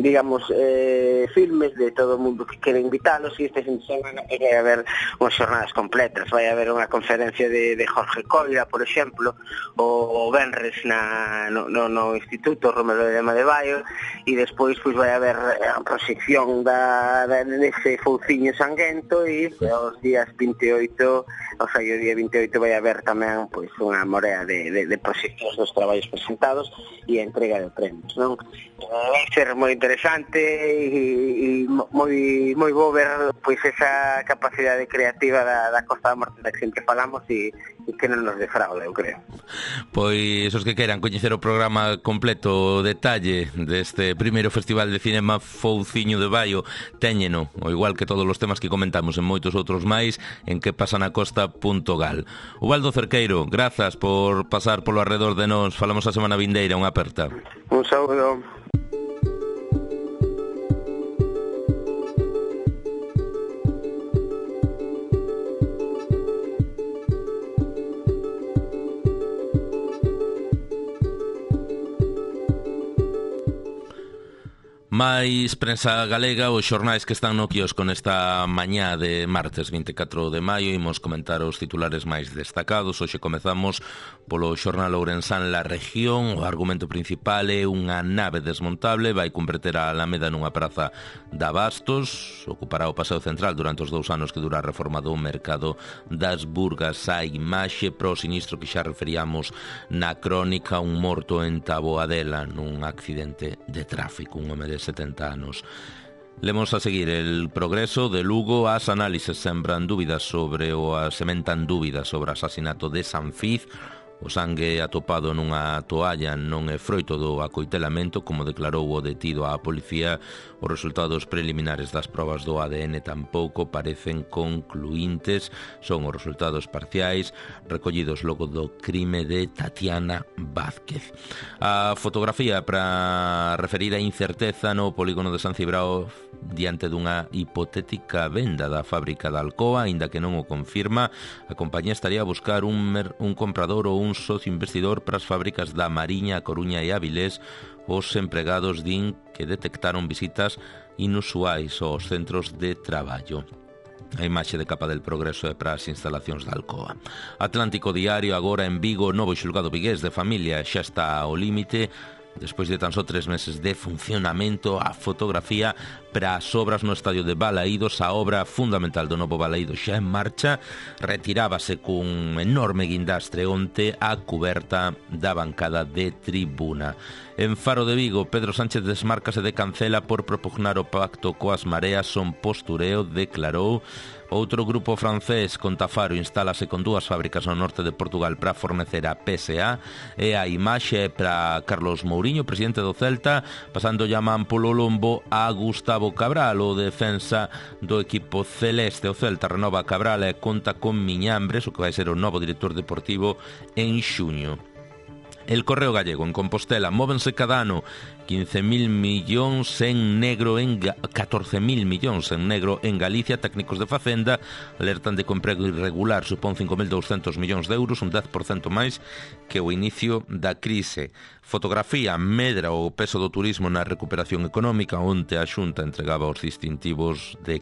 digamos, eh, filmes de todo o mundo que quere invitalos, e este fin de semana vai haber unhas jornadas completas. Vai haber unha conferencia de, de Jorge Coira, por exemplo, o Benres na, no, no, no Instituto Romero de Lema de Baio, e despois pues, vai haber a proxección da, da, dese Fouciño Sanguento, e os días vinte e oito, o sea, o día vinte e oito vai haber tamén pois unha morea de, de, de proxeccións dos traballos presentados e a entrega de premios, non? Vai ser moi interesante e, e moi moi bo ver pois esa capacidade creativa da, da Costa da Morte da que sempre falamos, e, e que non nos defraude, eu creo. Pois os que queiran coñecer o programa completo, o detalle deste primeiro Festival de Cinema Fouciño de Baio, téñeno, o igual que todos os temas que comentamos en moitos outros máis, en que pasanacosta punto gal. Ubaldo Cerqueiro, grazas por pasar polo arredor de nós. Falamos a semana vindeira, unha aperta. Un saúdo. Mais prensa galega, os xornais que están no quiosco nesta mañá de martes vinte e catro de maio. Imos comentar os titulares máis destacados. Hoxe comezamos polo xornal ourensán La Región. O argumento principal é unha nave desmontable vai converter a Alameda nunha praza de abastos. Ocupará o paseo central durante os dous anos que dura a reforma do mercado das Burgas. A imaxe pro sinistro que xa referíamos na crónica, un morto en Taboadela nun accidente de tráfico, un home de setenta anos. Lemos a seguir el progreso de Lugo. As análises sembran dúbidas sobre o sementan dúbidas sobre o asasinato de Sanfiz. O sangue atopado nunha toalla non é froito do acoitelamento, como declarou o detido á policía. Os resultados preliminares das probas do A D N tampouco parecen concluíntes. Son os resultados parciais recollidos logo do crime de Tatiana Vázquez. A fotografía para referir a incerteza no polígono de San Cibrao diante dunha hipotética venda da fábrica de Alcoa, aínda que non o confirma. A compañía estaría a buscar un, mer- un comprador ou un socio investidor para as fábricas da Mariña, a Coruña e Avilés. Os empregados din que detectaron visitas inusuais aos centros de traballo. A imaxe de capa del progreso é para as instalacións da Alcoa. Atlántico Diario, agora en Vigo, novo xulgado vigués de familia xa está ao límite. Despois de tan só tres meses de funcionamento, a fotografía para as obras no estadio de Balaídos. A obra fundamental do novo Balaídos xa en marcha. Retirábase cun enorme guindastre onte a cuberta da bancada de tribuna. En Faro de Vigo, Pedro Sánchez desmárcase de Cancela por propugnar o pacto coas mareas. Son postureo, declarou. Outro grupo francés, Contafaro, instálase con dúas fábricas no norte de Portugal para fornecer a P S A. E a imaxe para Carlos Mouriño, presidente do Celta, pasando llaman polo lombo a Gustavo Cabral, o defensa do equipo celeste. O Celta renova a Cabral e conta con Miñambres, o que vai ser o novo director deportivo en xuño. El Correo Gallego, en Compostela, móvense cada ano quince mil millóns en negro en catorce mil millóns en negro en Galicia. Técnicos de Facenda alertan de que o emprego irregular supón cinco mil douscentos millóns de euros, un dez por cento máis que o inicio da crise. Fotografía, medra o peso do turismo na recuperación económica. Onte a Xunta entregaba os distintivos de,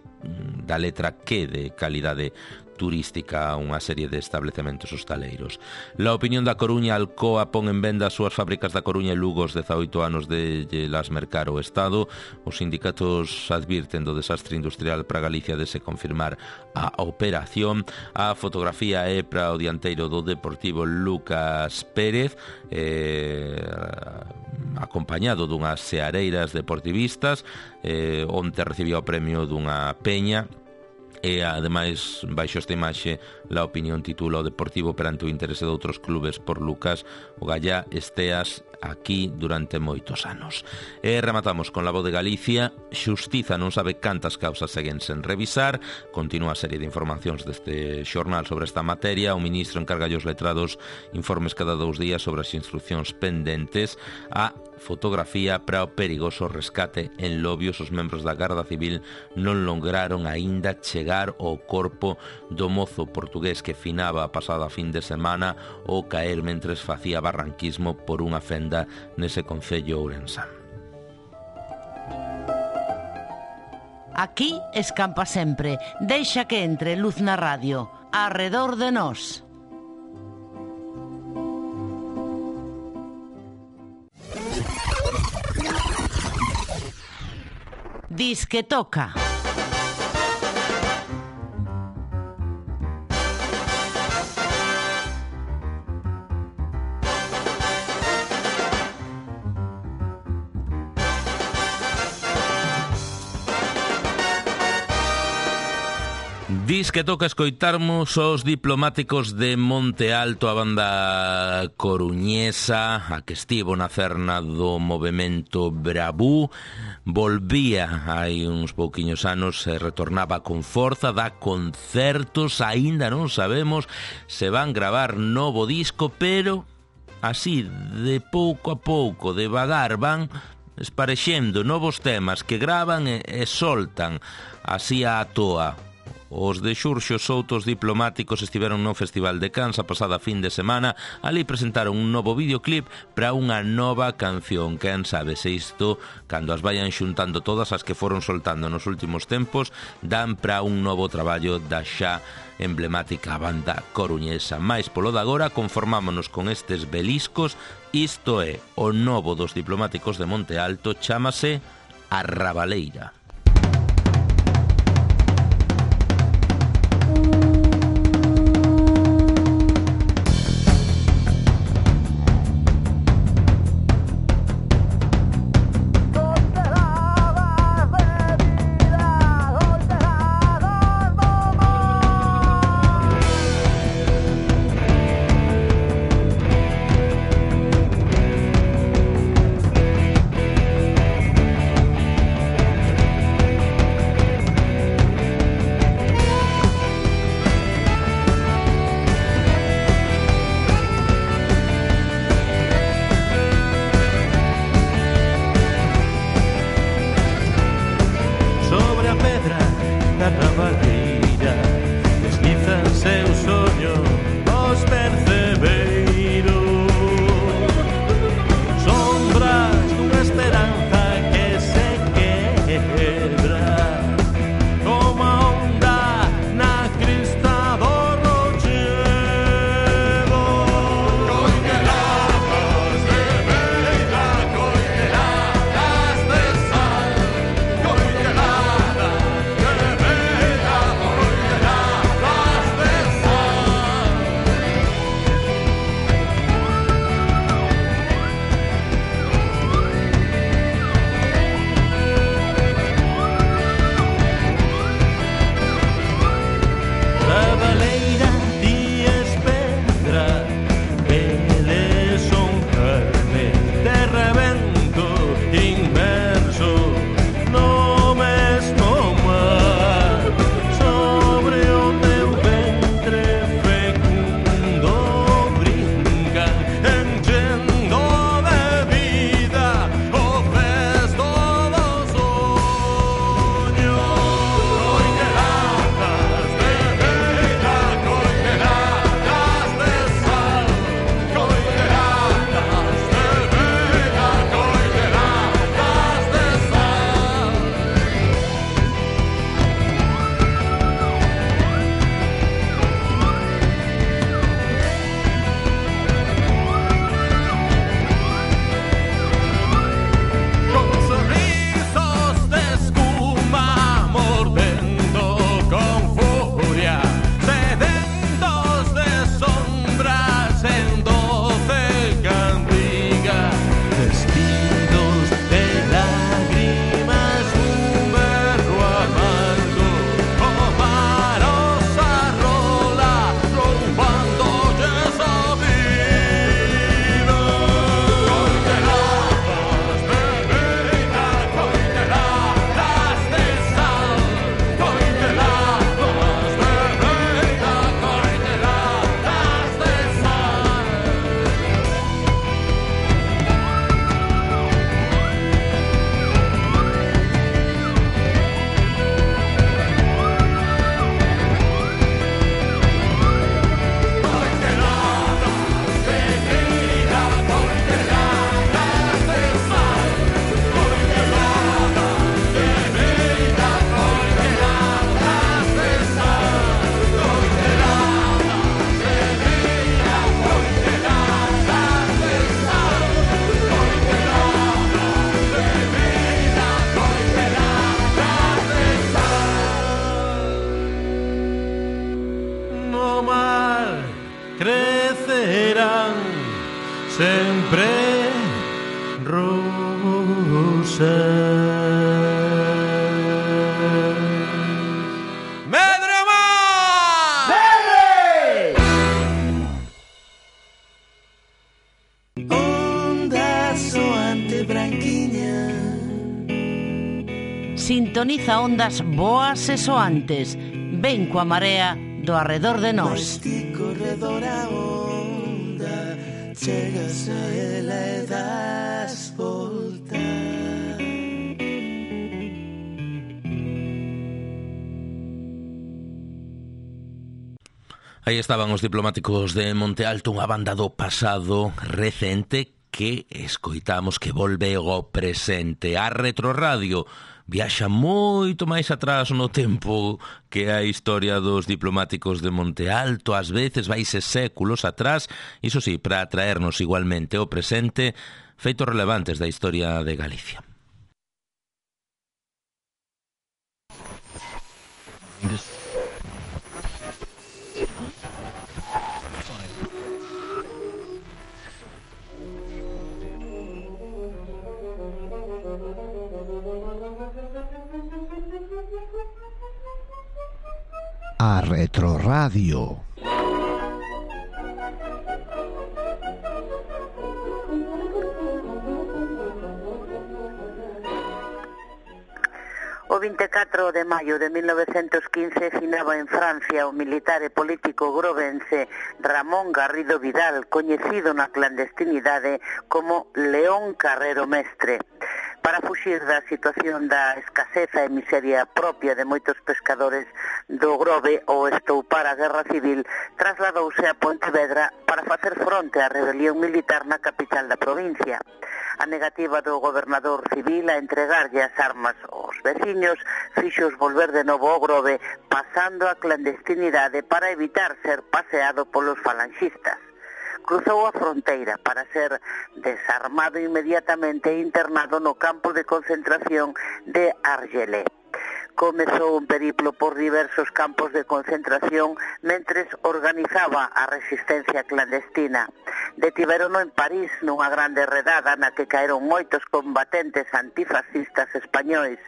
da letra Q de calidade turística a unha serie de establecementos hostaleiros. La Opinión da Coruña, Alcoa pon en venda as súas fábricas da Coruña e Lugo os dezaoito anos de las mercar o Estado. Os sindicatos advirten do desastre industrial para Galicia de se confirmar a operación. A fotografía é para o dianteiro do Deportivo Lucas Pérez, eh, acompañado dunhas seareiras deportivistas, eh, onte recibía o premio dunha peña. E, ademais, baixo esta imaxe, La Opinión titula o Deportivo perante o interese de outros clubes por Lucas, o Gallá esteas aquí durante moitos anos. E rematamos con La Voz de Galicia. Xustiza non sabe cantas causas seguen sen revisar. Continúa a serie de informacións deste xornal sobre esta materia. O ministro encarga aos letrados informes cada dous días sobre as instruccións pendentes. A fotografía para o perigoso rescate en Lobios. Os membros da Garda Civil non lograron aínda chegar ao corpo do mozo portugués que finaba a pasada fin de semana ou caer mentres facía barranquismo por unha fenda nese concello ourensán. Aquí escampa sempre. Deixa que entre luz na radio. Arredor de nós. Dis que toca. Dis que toca escoitarmos os diplomáticos de Monte Alto, a banda coruñesa, a que estivo na cerna do movemento Bravú. Volvía hai uns pouquiños anos e retornaba con forza, dá concertos, aínda non sabemos se van gravar novo disco, pero así, de pouco a pouco, devagar, van esparexendo novos temas que gravan e, e soltan así á toa. Os de Xurxo Soutos diplomáticos estiveron no Festival de Cans a pasada fin de semana. Ali presentaron un novo videoclip para unha nova canción. Quen sabe se isto, cando as vayan xuntando todas as que foron soltando nos últimos tempos, dan para un novo traballo da xa emblemática banda coruñesa. Mais polo de agora conformámonos con estes beliscos. Isto é o novo dos diplomáticos de Monte Alto, chámase A Rabaleira. crecerán sempre rosas. Sintoniza ondas boas e soantes. Ven coa marea do arredor de nós. Corredor a onda, chegas a ela e das volta. Aí estaban os diplomáticos de Monte Alto, unha banda do pasado recente que escoitamos que volve ao presente. A Retroradio viaxa moito máis atrás no tempo que a historia dos diplomáticos de Monte Alto. Ás veces vaise séculos atrás, iso sí, para traernos igualmente ao presente feitos relevantes da historia de Galicia. A Retroradio. O vinte e catro de maio de mil novecentos quince finaba en Francia o militar e político grovense Ramón Garrido Vidal, coñecido na clandestinidade como León Carrero Mestre. Para fuxir da situación da escaseza e miseria propia de moitos pescadores do Grove ou estoupar a guerra civil, trasladouse a Pontevedra para facer fronte á rebelión militar na capital da provincia. A negativa do gobernador civil a entregarlle as armas aos veciños fixos volver de novo ao Grove, pasando a clandestinidade para evitar ser paseado polos falanxistas. Cruzou a fronteira para ser desarmado inmediatamente e internado no campo de concentración de Argelès. Comezou un periplo por diversos campos de concentración mentres organizaba a resistencia clandestina. Detiverono en París nunha grande redada na que caeron moitos combatentes antifascistas españois.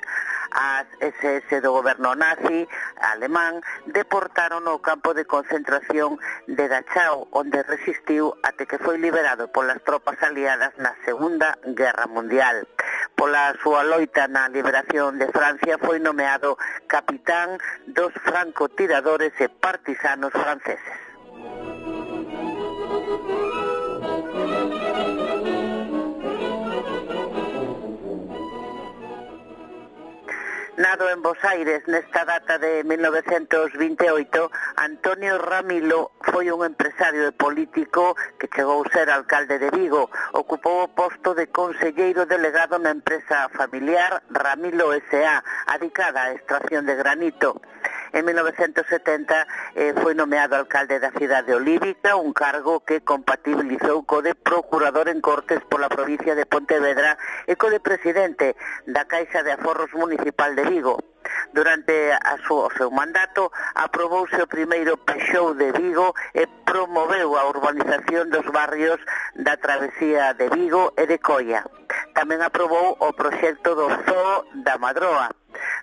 As ese ese do goberno nazi alemán deportaron ao campo de concentración de Dachau, onde resistiu até que foi liberado polas tropas aliadas na Segunda Guerra Mundial. Pola súa loita na liberación de Francia foi nomeado capitán dos francotiradores e partisanos franceses. Nado en Bos Aires nesta data de mil novecentos vinte e oito, Antonio Ramilo foi un empresario e político que chegou a ser alcalde de Vigo. Ocupou o posto de conselleiro delegado na empresa familiar Ramilo S A, adicada á extracción de granito. En mil novecentos setenta eh, foi nomeado alcalde da cidade Olívica, un cargo que compatibilizou co de procurador en Cortes pola provincia de Pontevedra e co de presidente da Caixa de Aforros Municipal de Vigo. Durante a súa, o seu mandato aprobouse o primeiro Peixou de Vigo e promoveu a urbanización dos barrios da Travesía de Vigo e de Coia. Tamén aprobou o proxecto do Zoo da Madroa.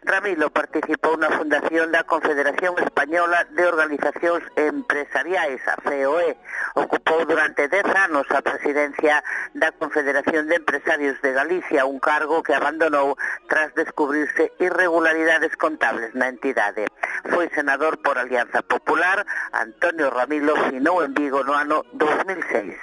Ramilo participou na fundación da Confederación Española de Organizacións Empresariais, a C O E. Ocupou durante dez anos a presidencia da Confederación de Empresarios de Galicia, un cargo que abandonou tras descubrirse irregularidades contables na entidade. Foi senador por Alianza Popular. Antonio Ramilo finou en Vigo no ano dos mil seis.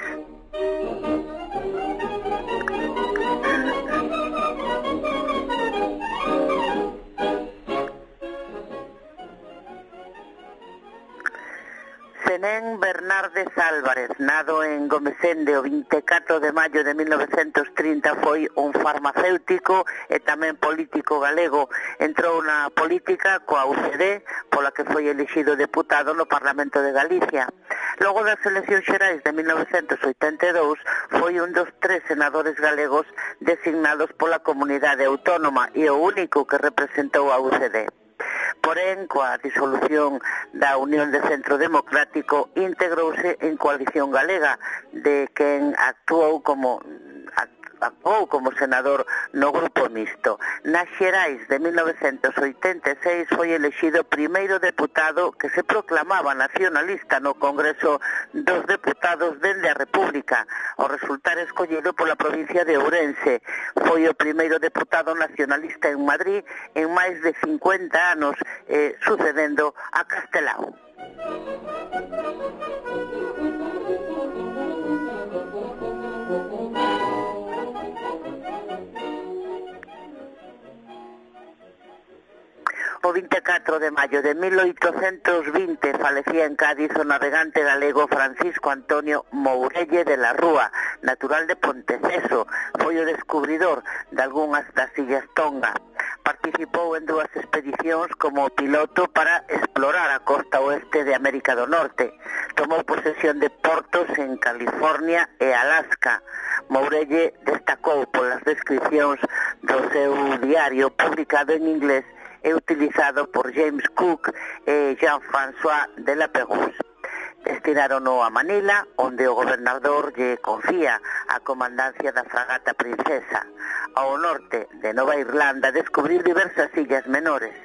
Zenén Bernárdez Álvarez, nado en Gomesende o vinte e catro de maio de mil novecentos trinta, foi un farmacéutico e tamén político galego. Entrou na política coa U C D, pola que foi elixido deputado no Parlamento de Galicia. Logo das eleccións xerais de mil novecentos oitenta e dous, foi un dos tres senadores galegos designados pola comunidade autónoma e o único que representou a U C D. Porén, coa disolución da Unión de Centro Democrático, integrouse en Coalición Galega, de quen actuou como actuou como senador no grupo mixto. Nas xerais de mil novecentos oitenta e seis foi elexido primeiro deputado que se proclamaba nacionalista no Congreso dos Deputados dende a República, ao resultar escollido pola provincia de Ourense. Foi o primeiro deputado nacionalista en Madrid en máis de cincuenta anos, eh, sucedendo a Castelao. O vinte e catro de maio de mil oitocentos vinte falecía en Cádiz o navegante galego Francisco Antonio Mourelle de la Rúa, natural de Ponteceso. Foi o descubridor de algunhas das illas Tonga. Participou en dúas expedicións como piloto para explorar a costa oeste de América do Norte. Tomou posesión de portos en California e Alaska. Mourelle destacou polas descripcións do seu diario publicado en inglés e utilizado por James Cook e Jean-François de la Pérouse. Destinarono a Manila, onde o gobernador lle confía a comandancia da fragata Princesa. Ao norte de Nova Irlanda descubriu diversas illas menores.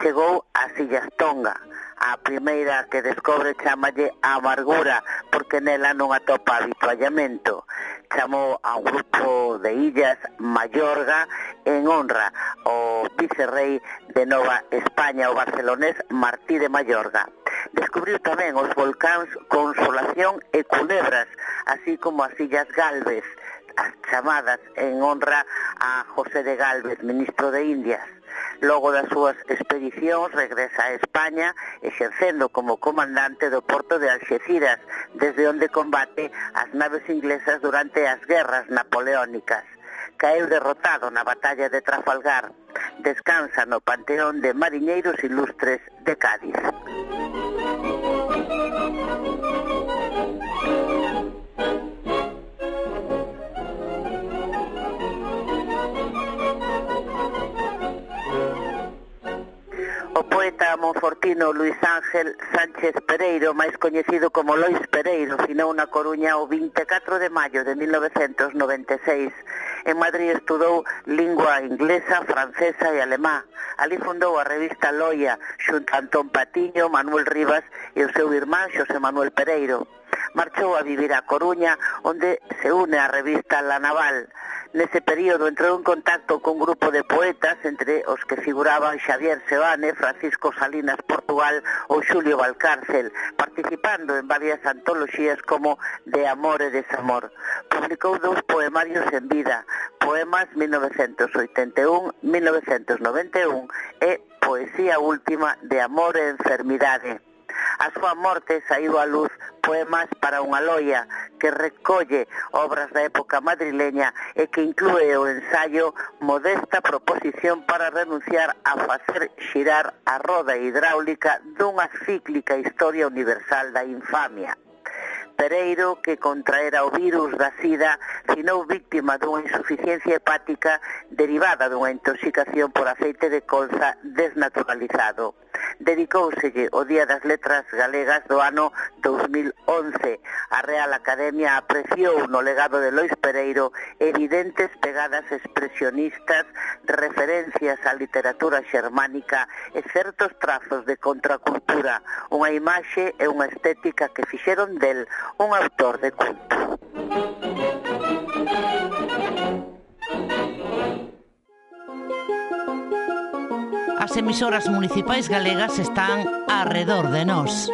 Chegou ás illas Tonga. A primeira que descobre chamalle a Amargura, porque nela non atopa habituallamento. Chamou a un grupo de illas Mayorga en honra ao vicerrei de Nova España, o barcelonés Martí de Mayorga. Descubriu tamén os volcáns Consolación e Culebras, así como as illas Galvez, as chamadas en honra a José de Galvez, ministro de Indias. Logo das súas expedicións regresa a España, exercendo como comandante do porto de Alxeciras, desde onde combate as naves inglesas durante as guerras napoleónicas. Caeu derrotado na batalla de Trafalgar. Descansa no Panteón de Mariñeiros Ilustres de Cádiz. O poeta monfortino Luis Ángel Sánchez Pereiro, máis coñecido como Lois Pereiro, finou na Coruña o vinte e catro de maio de mil novecentos noventa e seis. En Madrid estudou lingua inglesa, francesa e alemá. Ali fundou a revista Loia, xunto a Antón Patiño, Manuel Rivas e o seu irmán Xosé Manuel Pereiro. Marchou a vivir a Coruña, onde se une a revista La Naval. Nese período entrou en contacto con un grupo de poetas, entre os que figuraban Xavier Seoane, Francisco Salinas Portugal ou Xulio Valcárcel, participando en varias antoloxías como De amor e desamor. Publicou dous poemarios en vida, Poemas mil novecentos oitenta e un a mil novecentos noventa e un e Poesía última de amor e enfermidade. A súa morte saiu á luz Poemas para unha loia, que recolle obras da época madrileña e que inclúe o ensaio Modesta proposición para renunciar a facer xirar a roda hidráulica dunha cíclica historia universal da infamia. Pereiro, que contraera o virus da sida, finou víctima dunha insuficiencia hepática derivada dunha intoxicación por aceite de colza desnaturalizado. Dedicóuselle o Día das Letras Galegas do ano dos mil once. A Real Academia apreciou no legado de Lois Pereiro evidentes pegadas expresionistas, referencias á literatura xermánica e certos trazos de contracultura, unha imaxe e unha estética que fixeron del un autor de culto. As emisoras municipais galegas están arredor de nós.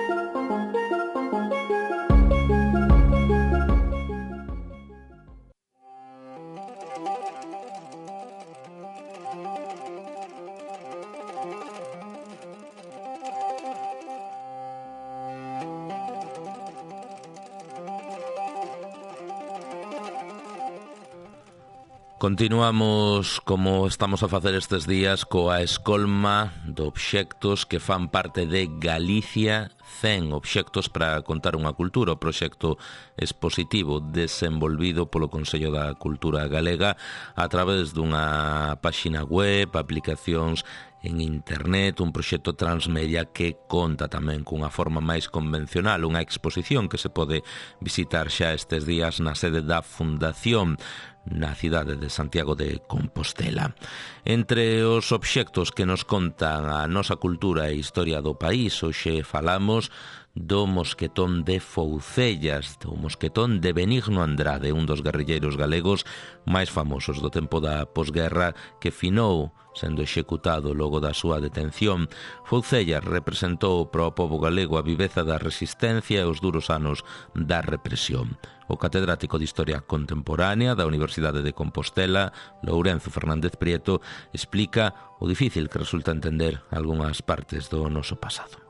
Continuamos, como estamos a facer estes días, coa escolma de obxectos que fan parte de Galicia cen obxectos para contar unha cultura, o proxecto expositivo desenvolvido polo Consello da Cultura Galega a través dunha páxina web, aplicacións en internet, un proxecto transmedia que conta tamén cunha forma máis convencional, unha exposición que se pode visitar xa estes días na sede da Fundación na cidade de Santiago de Compostela. Entre os obxectos que nos contan a nosa cultura e historia do país, hoxe falamos do mosquetón de Foucellas, do mosquetón de Benigno Andrade, un dos guerrilleiros galegos máis famosos do tempo da posguerra, que finou sendo executado logo da súa detención. Foucellas representou para o pobo galego a viveza da resistencia e os duros anos da represión. O catedrático de Historia Contemporánea da Universidade de Compostela, Lourenzo Fernández Prieto, explica o difícil que resulta entender algunhas partes do noso pasado.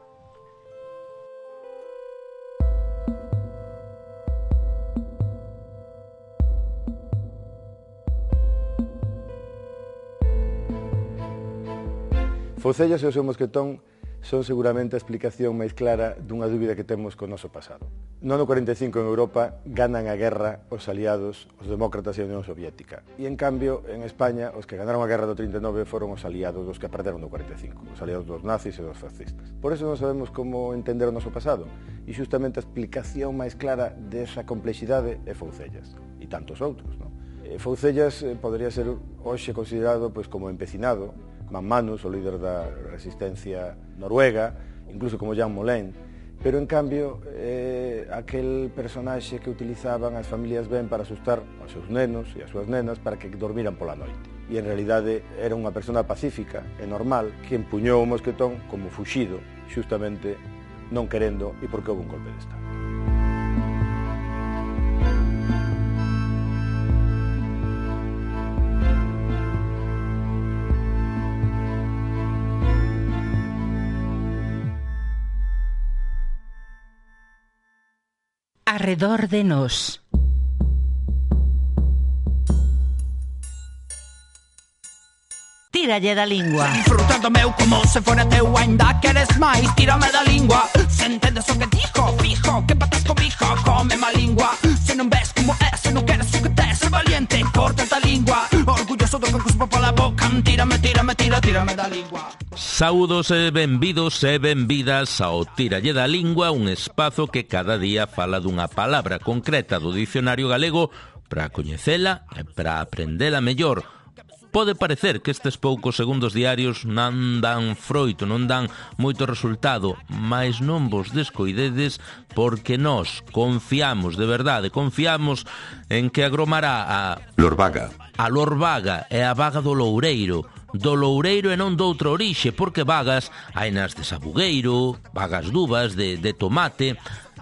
Foucellas e o seu mosquetón son seguramente a explicación máis clara dunha dúbida que temos co noso pasado. No ano cuarenta e cinco en Europa ganan a guerra os aliados, os demócratas e a Unión Soviética. E en cambio, en España, os que ganaron a guerra do trinta e nove foron os aliados dos que perderon no cuarenta e cinco, os aliados dos nazis e dos fascistas. Por eso non sabemos como entender o noso pasado. E xustamente a explicación máis clara desa complexidade é Foucellas. E tantos outros, non? Foucellas eh, podría ser hoxe considerado pois, como empecinado, Manmanus, o líder da resistencia noruega, incluso como Jean Moulin, pero en cambio é aquel personaxe que utilizaban as familias ben para asustar aos seus nenos e as súas nenas para que dormiran pola noite. E en realidade era unha persona pacífica e normal que empuñou o mosquetón como fuxido, xustamente non querendo e porque houve un golpe de Estado. Arredor de nós. Tíralle da lingua. Disfrutando meu como se fora teu, ainda queres máis, tírame da lingua. Se entendes o que dijo, fijo, que patas comigo, come má lingua. Se non ves como é, se non queres o que tes, ser valiente, corta da lingua. Orgulloso do que cuspo pola boca, tírame, tírame, tira, tírame da lingua. Saúdos e benvidos e benvidas ao Tíralle da Lingua, un espazo que cada día fala dunha palabra concreta do dicionario galego para coñecela e para aprendela mellor. Pode parecer que estes poucos segundos diarios non dan froito, non dan moito resultado, mas non vos descoidedes porque nós confiamos, de verdade, confiamos en que agromará a Lorvaga. A Lorvaga é a vaga do Loureiro, do Loureiro e non doutra orixe, porque vagas hai nas de sabugueiro, vagas duvas de, de tomate.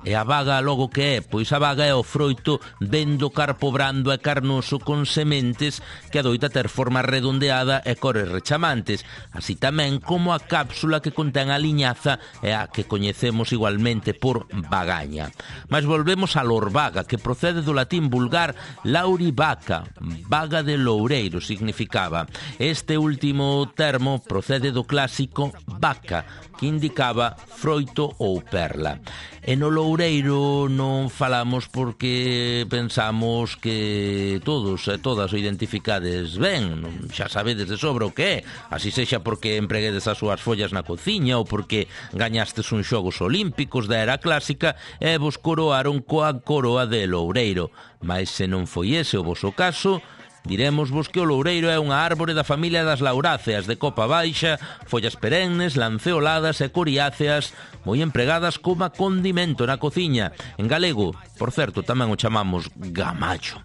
E a vaga logo que é? Pois a vaga é o froito ben do carpo brando e carnoso con sementes que adoita ter forma redondeada e cores rechamantes, así tamén como a cápsula que contén a liñaza e a que coñecemos igualmente por vagaña. Mas volvemos a Lorvaga, que procede do latín vulgar laurivaca, vaga de loureiro significaba. Este último termo procede do clásico vaca, que indicaba froito ou perla. E no Loureiro non falamos porque pensamos que todos e todas o identificades ben, xa sabedes de sobra o que é, así sexa porque empreguedes as súas follas na cociña ou porque gañastes uns xogos olímpicos da era clásica e vos coroaron coa coroa de Loureiro. Mas se non foi ese o voso caso, diremosvos que o loureiro é unha árbore da familia das lauráceas de copa baixa, follas perennes, lanceoladas e coriáceas, moi empregadas como condimento na cociña. En galego, por certo, tamén o chamamos gamacho.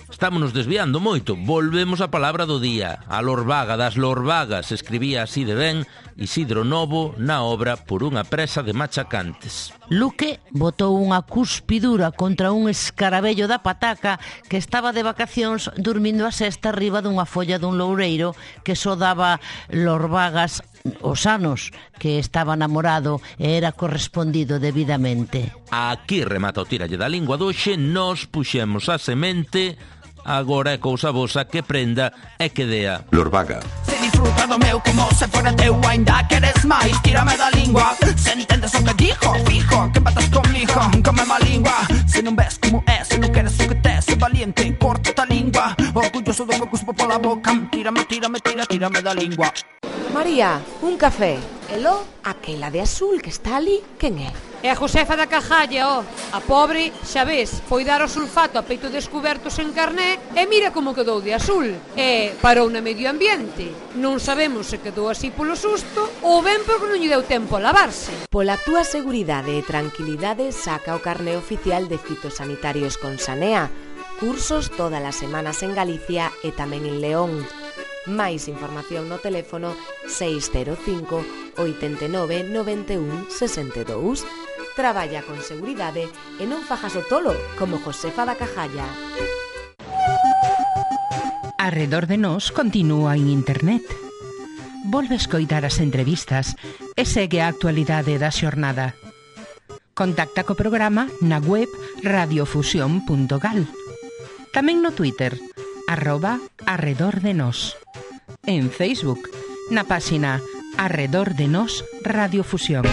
Estámonos desviando moito. Volvemos á palabra do día. A Lorvaga das Lorvagas, escribía así de ben Isidro Novo na obra Por unha presa de machacantes. Luque botou unha cuspidura contra un escarabello da pataca que estaba de vacacións dormindo a sesta arriba dunha folla dun loureiro que só daba lorvagas os anos que estaba namorado e era correspondido debidamente. Aquí remata o Tíralle da Lingua doxe, nos puxemos a semente. Agora é cousa vosa que prenda e que dea. Lorvaga. Se disfruta do meu como se fora teu, ainda queres máis, tírame da lingua. Se entendes o que dijo, Yo sou do que cuspo pola boca. Tírame, tírame, tira, tírame da lingua. María, un café. Elo, aquela de azul que está ali, quen é? É a Josefa da Cajalla, ó. A pobre, xa ves, foi dar o sulfato a peito descubertos en carné e mira como quedou de azul. E parou na medio ambiente. Non sabemos se quedou así polo susto ou ben porque non lle deu tempo a lavarse. Pola túa seguridade e tranquilidade saca o carné oficial de fitosanitarios con Sanea. Cursos todas as semanas en Galicia e tamén en León. Máis información no teléfono seis cero cinco, oito nove, nove un, seis dous. Traballa con seguridade e non fajas o tolo, como Josefa da Cajalla. Arredor de nós continúa en internet. Volve escoitar as entrevistas e segue a actualidade da xornada. Contacta co programa na web radiofusión punto gal. Tamén no Twitter, arroba arredor de nós. En Facebook, na páxina Arredor de Nós Radiofusión.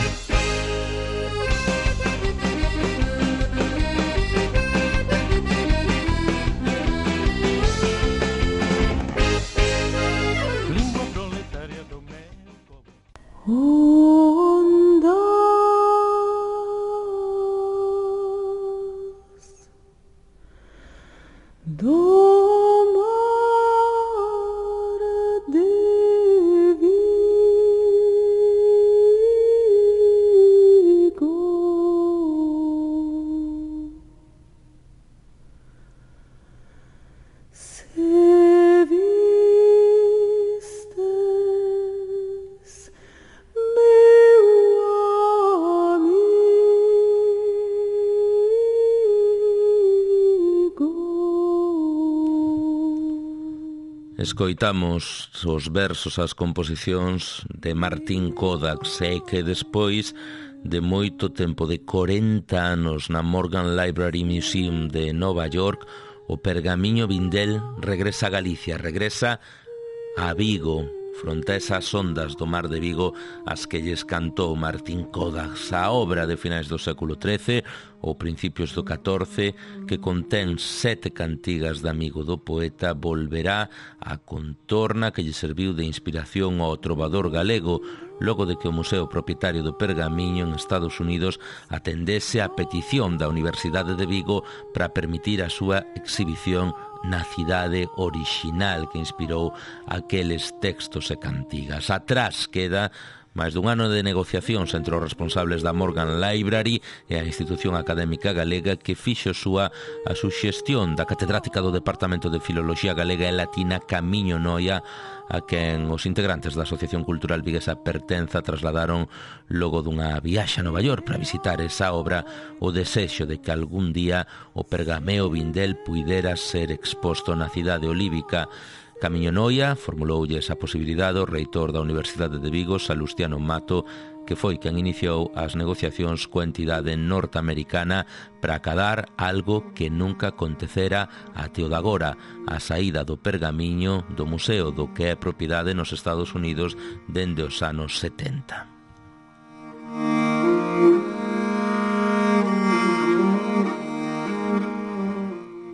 Escoitamos os versos, as composicións de Martín Kodax, e que despois de moito tempo, de corenta anos, na Morgan Library Museum de Nova York, o Pergamiño Vindel regresa a Galicia, regresa a Vigo, fronte a esas ondas do mar de Vigo as que lles cantou Martín Kodax. A obra de finais do século trece ou principios do catorce, que contén sete cantigas de amigo do poeta, volverá a contorna que lle serviu de inspiración ao trovador galego, logo de que o Museo Propietario do Pergamiño en Estados Unidos atendese a petición da Universidade de Vigo para permitir a súa exhibición na cidade orixinal que inspirou aqueles textos e cantigas. Atrás queda máis dun ano de negociacións entre os responsables da Morgan Library e a institución académica galega, que fixo súa a suxestión da catedrática do Departamento de Filoloxía Galega e Latina Camiño Noia, a quen os integrantes da Asociación Cultural Viguesa Pertenza trasladaron logo dunha viaxe a Nova York para visitar esa obra o desexo de que algún día o Pergameo Vindel puidera ser exposto na cidade olívica. Camiño Noia formuloulle esa posibilidade ao reitor da Universidade de Vigo, Salustiano Mato, que foi quen iniciou as negociacións coa entidade norteamericana para acadar algo que nunca acontecera até o de agora, a saída do pergamiño do museo do que é propiedade nos Estados Unidos dende os anos setenta.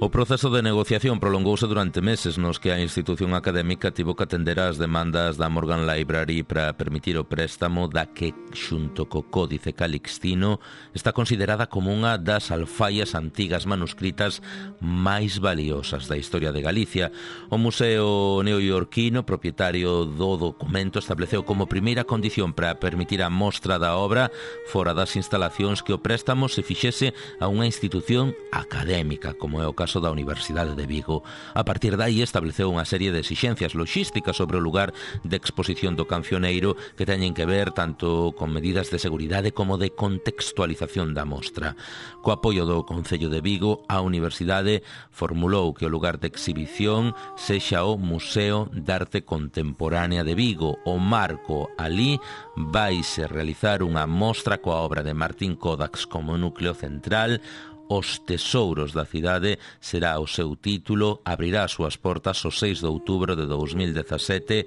O proceso de negociación prolongouse durante meses, nos que a institución académica tivo que atender ás demandas da Morgan Library para permitir o préstamo da que, xunto co Códice Calixtino, está considerada como unha das alfaias antigas manuscritas máis valiosas da historia de Galicia. O Museo Neoyorquino, propietario do documento, estableceu como primeira condición para permitir a mostra da obra fora das instalacións que o préstamo se fixese a unha institución académica, como é o caso da Universidade de Vigo. A partir dai estableceu unha serie de exixencias logísticas sobre o lugar de exposición do cancioneiro que teñen que ver tanto con medidas de seguridade como de contextualización da mostra. Co apoio do Concello de Vigo, a Universidade formulou que o lugar de exhibición sexa o Museo de Arte Contemporánea de Vigo. O marco alí vaise realizar unha mostra coa obra de Martín Kodax como núcleo central. Os tesouros da cidade será o seu título, abrirá as súas portas o seis de outubro de dous mil dezasete,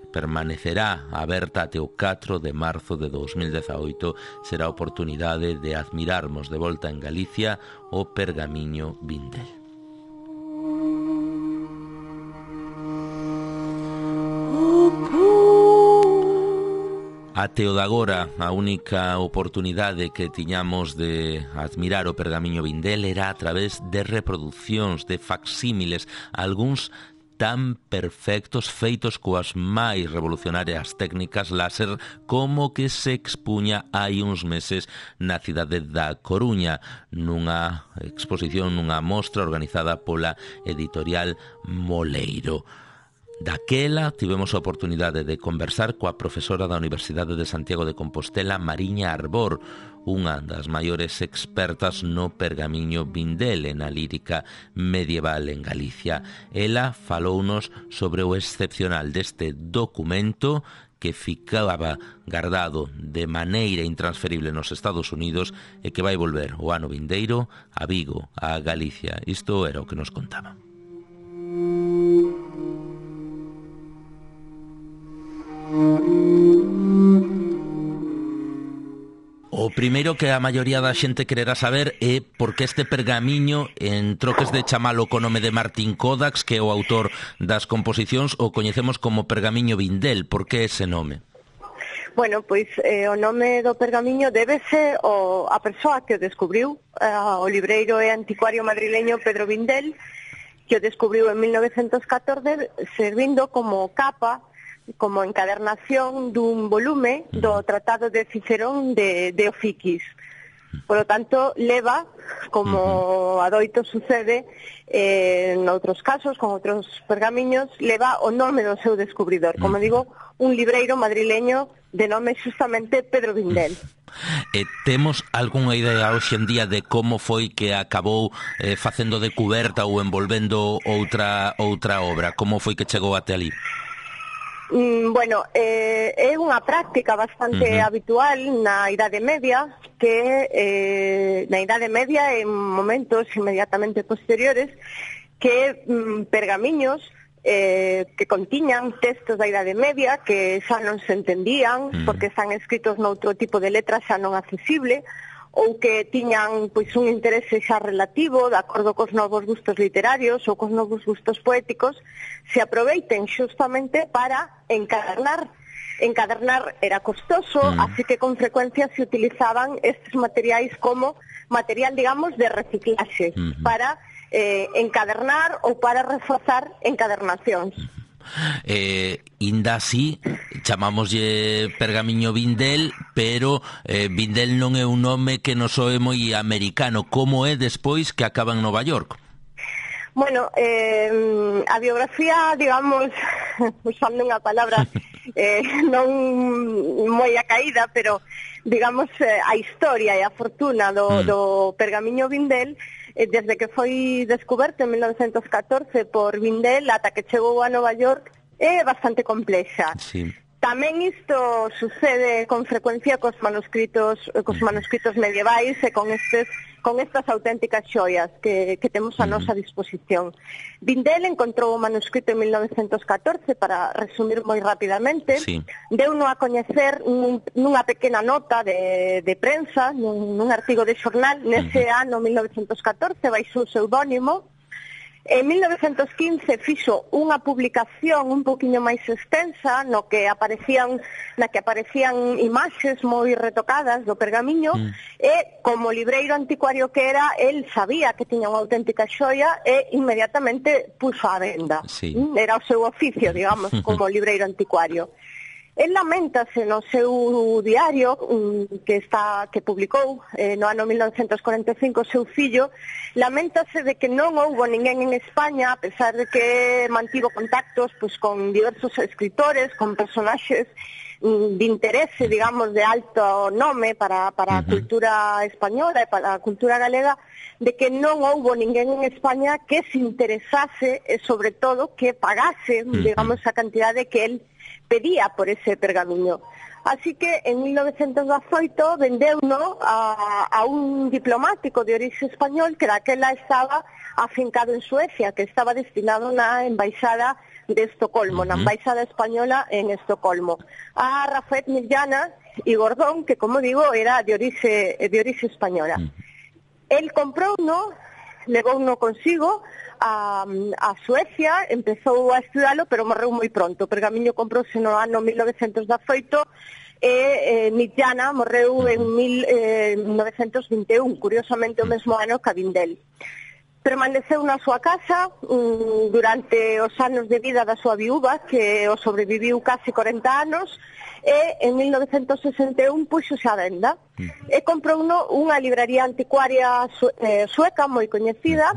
permanecerá aberta até o catro de marzo de dous mil dezaoito. Será a oportunidade de admirarmos de volta en Galicia o Pergamiño Vindel. Até o de agora, a única oportunidade que tiñamos de admirar o pergamiño Vindel era a través de reproduccións, de facsímiles, algúns tan perfectos, feitos coas máis revolucionarias técnicas láser, como que se expuña hai uns meses na cidade da Coruña, nunha exposición, nunha mostra organizada pola editorial Moleiro. Daquela tivemos a oportunidade de conversar coa profesora da Universidade de Santiago de Compostela, Mariña Arbor, unha das maiores expertas no pergamiño Vindel e na lírica medieval en Galicia. Ela falounos sobre o excepcional deste documento que ficaba guardado de maneira intransferible nos Estados Unidos e que vai volver o ano vindeiro a Vigo, a Galicia. Isto era o que nos contaba. O primeiro que a maioría da xente quererá saber é por que este pergamiño, en troques de chamalo co nome de Martín Kodax, que é o autor das composicións, o coñecemos como pergamiño Vindel. Por que ese nome? Bueno, pois eh, o nome do pergamiño débese ao, a persoa que o descubriu, eh, o libreiro e anticuario madrileño Pedro Vindel, que o descubriu en mil novecentos catorce servindo como capa, como encadernación dun volume do Tratado de Cicerón de, de Ofiquis. Por lo tanto, leva, como adoito sucede eh, en outros casos, con outros pergamiños, leva o nome do seu descubridor. Como digo, un libreiro madrileño de nome justamente Pedro Vindel. E temos algunha idea hoxe en día de como foi que acabou eh, facendo de cuberta ou envolvendo outra outra obra? Como foi que chegou até ali? Mm, bueno, eh, é unha práctica bastante uh-huh. habitual na Idade Media, que eh, na Idade Media, en momentos inmediatamente posteriores, que mm, pergamiños eh, que contiñan textos da Idade Media que xa non se entendían, uh-huh. porque están escritos noutro tipo de letra xa non accesible, ou que tiñan pois un interese xa relativo de acordo cos novos gustos literarios ou cos novos gustos poéticos, se aproveiten xustamente para encadernar. Encadernar era costoso, mm. así que con frecuencia se utilizaban estes materiais como material, digamos, de reciclaxe, mm-hmm. para eh, encadernar ou para reforzar encadernacións. Eh, inda así chamámoslle pergamiño Vindel, pero eh, Vindel non é un nome que nos soe moi americano. Como é despois que acaba en Nova York? Bueno, eh, a biografía, digamos, usando unha palabra eh, non moi acaída, pero digamos eh, a historia e a fortuna do, mm. do pergamiño Vindel, desde que foi descoberto en mil novecentos catorce por Vindel ata que chegou a Nova York, é bastante complexa. Sí. Tamén isto sucede con frecuencia cos manuscritos, cos manuscritos medievais e con estes con estas auténticas xoias que, que temos a nosa disposición. Vindel encontrou o manuscrito en mil novecentos catorce, para resumir moi rapidamente, sí. Deu-no a coñecer nun, nunha pequena nota de, de prensa, nun, nun artigo de xornal, nese uh-huh. ano mil novecentos catorce, baixo o pseudónimo. En mil novecentos quince fixo unha publicación un poquinho máis extensa no que aparecían na que aparecían imaxes moi retocadas do pergamiño mm. e como libreiro anticuario que era, el sabía que tiña unha auténtica xoia e inmediatamente puxo a venda. Sí. Era o seu oficio, digamos, como libreiro anticuario. El lamentase no seu diario que está que publicou eh, no ano mil novecentos cuarenta e cinco o seu fillo, lamentase de que non houbo ninguén en España, a pesar de que mantivo contactos pues, con diversos escritores, con personaxes de interese, digamos, de alto nome para, para uh-huh. a cultura española e para a cultura galega, de que non houbo ninguén en España que se interesase e, sobre todo, que pagase, uh-huh. digamos, a cantidade que él pedía por ese pergamiño. Así que en mil novecentos dezoito vendeuno a, a un diplomático de orixe español que daquela estaba afincado en Suecia, que estaba destinado na embaixada de Estocolmo, uh-huh. na embaixada española en Estocolmo. A Rafael Millana y Gordón, que como digo, era de orixe, de orixe española. Uh-huh. El comprouno, levouno consigo a, a Suecia, empezou a estudalo, pero morreu moi pronto. O pergamiño comprouse no ano mil novecentos dezaoito e eh, Mitjana morreu en mil novecentos vinte e un, curiosamente o mesmo ano que a Vindel. Permaneceu na súa casa um, durante os anos de vida da súa viúva, que o sobreviviu casi corenta anos, e en mil novecentos sesenta e un puxose a venda. E comprou unha libraría anticuaria su, eh, sueca moi coñecida,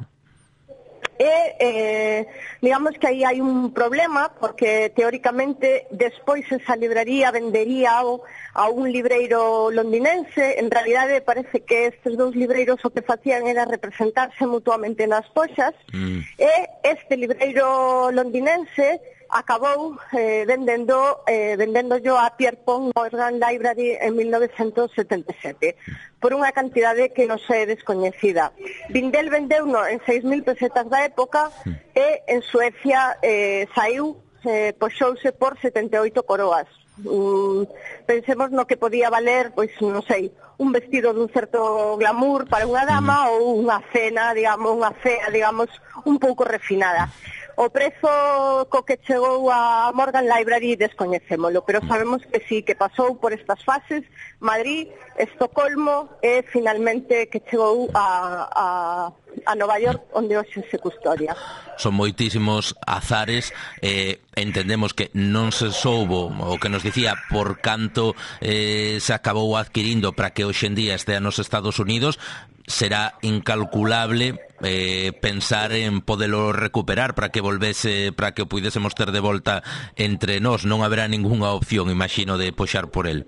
e eh, digamos que aí hai un problema, porque teóricamente despois esa libraría vendería ao, a un libreiro londinense. En realidade parece que estes dous libreiros o que facían era representarse mutuamente nas poxas, mm. e este libreiro londinense acabou eh, vendendo eh, vendendo yo a Pierpont Morgan Library en mil novecentos setenta e sete por unha cantidade que non é descoñecida. Vindel vendeu no en seis mil pesetas da época, e en Suecia eh, saiu, eh, poxouse por setenta e oito coroas. Mm, pensemos no que podía valer, pois non sei, un vestido dun certo glamour para unha dama, ou unha cena, digamos, unha cea, digamos, un pouco refinada. O prezo co que chegou a Morgan Library descoñecémolo, pero sabemos que sí, que pasou por estas fases, Madrid, Estocolmo, e finalmente que chegou a, a, a Nova York, onde hoxe se custodia. Son moitísimos azares, eh, entendemos que non se soubo o que nos dicía por canto eh, se acabou adquirindo para que hoxe en día estea nos Estados Unidos. Será incalculable eh, pensar en podelo recuperar para que volvese, para que o puidésemos ter de volta entre nós. Non haberá ningunha opción, imagino, de poxar por el.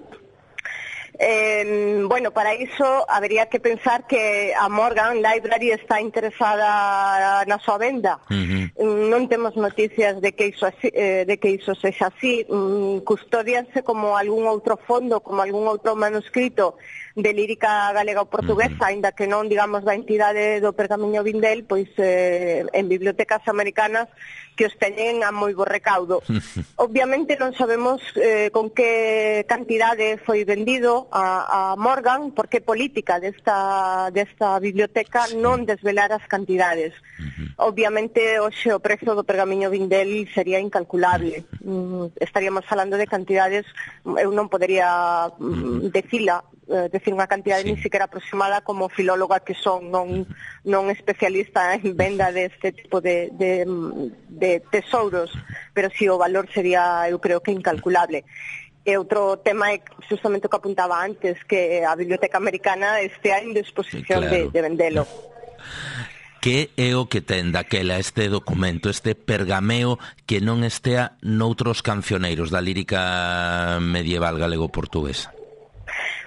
Eh, bueno, para iso habería que pensar que a Morgan Library está interesada na súa venda. Uh-huh. Non temos noticias de que iso, eh, de que iso sexa así. Mm, custodianse como algún outro fondo, como algún outro manuscrito de lírica galega ou portuguesa, uh-huh. aínda que non, digamos, da entidade do Pergamiño Vindel, pois eh, en bibliotecas americanas que os teñen a moi bo recaudo. Obviamente non sabemos eh, con que cantidade foi vendido a, a Morgan, porque política desta, desta biblioteca non desvelar as cantidades. Uh-huh. Obviamente hoxe o prezo do Pergamiño Vindel sería incalculable. Uh-huh. Mm, estaríamos falando de cantidades, eu non podería mm, decila, decir unha cantidade sí. ni siquiera aproximada como filóloga que son, non, non especialista en venda deste tipo de, de, de tesouros, pero si sí, o valor sería, eu creo que incalculable. E outro tema é justamente o que apuntaba antes, que a Biblioteca Americana estea en disposición sí, claro. de, de vendelo. Que é o que ten daquela este documento, este pergameo que non estea noutros cancioneiros da lírica medieval galego-portuguesa?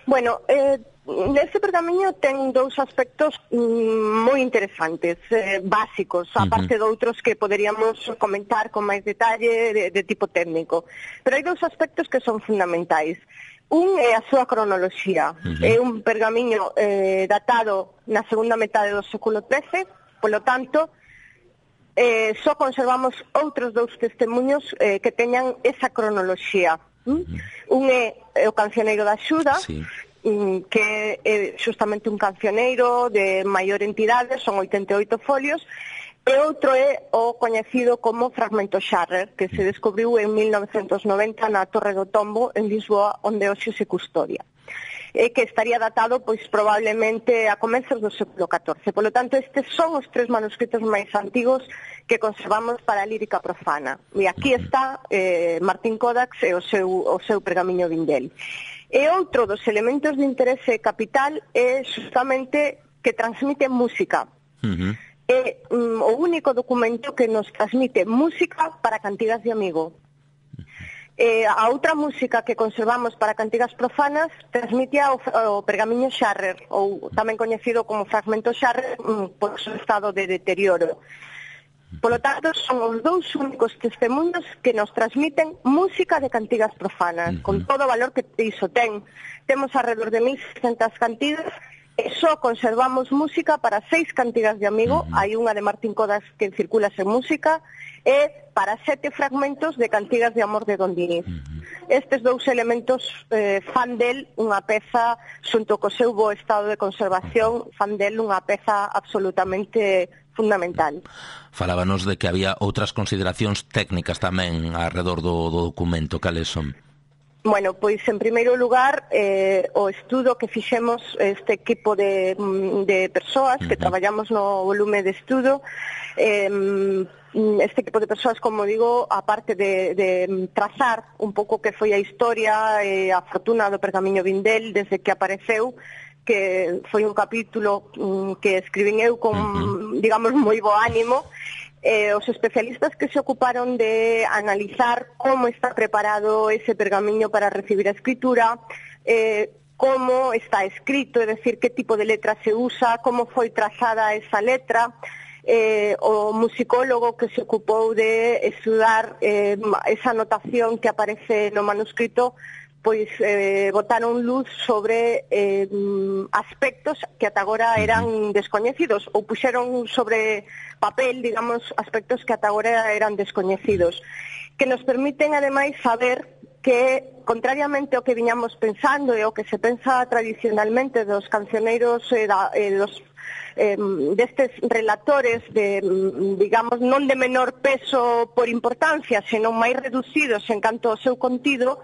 Bueno, eh, neste pergamiño ten dous aspectos mm, moi interesantes, eh, básicos, aparte uh-huh. de outros que poderíamos comentar con máis detalle de, de tipo técnico. Pero hai dous aspectos que son fundamentais. Un é a súa cronoloxía. Uh-huh. É un pergamiño eh, datado na segunda metade do século trece, polo tanto, eh, só conservamos outros dous testemunhos eh, que teñan esa cronoloxía. Uh-huh. Un é o Cancioneiro da Xuda, sí. que é justamente un cancioneiro de maior entidade, son oitenta e oito folios, e outro é o coñecido como Fragmento Scharrer, que se descubriu en mil novecentos noventa na Torre do Tombo, en Lisboa, onde hoxe se custodia, e que estaría datado pois probablemente a comezos do século catorce. Por lo tanto, estes son os tres manuscritos máis antigos que conservamos para a lírica profana. E aquí está eh, Martín Codax e o seu, o seu Pergamiño Vindel. E outro dos elementos de interese capital é justamente que transmite música. Uh-huh. É um, o único documento que nos transmite música para cantigas de amigo. Eh, a outra música que conservamos para cantigas profanas transmite o, o Pergamiño Scharrer, ou tamén coñecido como Fragmento Scharrer, um, por seu estado de deterioro. Polo tanto, son os dous únicos testemunhos que nos transmiten música de cantigas profanas, uh-huh. con todo o valor que iso ten. Temos alrededor de mil seiscentas cantigas e só conservamos música para seis cantigas de amigo, uh-huh. hai unha de Martín Codax que circula sen música, e para sete fragmentos de cantigas de amor de Don Diniz. Uh-huh. Estes dous elementos eh, fan del unha peza, xunto co seu bo estado de conservación, fan del unha peza absolutamente fundamental. Falábanos de que había outras consideracións técnicas tamén alrededor do, do documento. Cales son? Bueno, pois en primeiro lugar eh, o estudo que fixemos este equipo de, de persoas que uh-huh. traballamos no volume de estudo, eh, este equipo de persoas, como digo, aparte de, de trazar un pouco que foi a historia e a fortuna do Pergamiño Vindel desde que apareceu, que foi un capítulo um, que escribín eu con, uh-huh. digamos, moi bo ánimo. Eh, os especialistas que se ocuparon de analizar como está preparado ese pergamiño para recibir a escritura, eh, como está escrito, é dicir, que tipo de letra se usa, como foi trazada esa letra, eh, o musicólogo que se ocupou de estudar eh, esa notación que aparece no manuscrito, pois eh, botaron luz sobre eh, aspectos que ata agora eran descoñecidos, ou puxeron sobre papel, digamos, aspectos que ata agora eran descoñecidos, que nos permiten, ademais, saber que, contrariamente ao que viñamos pensando e ao que se pensa tradicionalmente dos cancioneiros e da, eh, dos eh, destes relatores de, digamos, non de menor peso por importancia, senón máis reducidos en canto ao seu contido,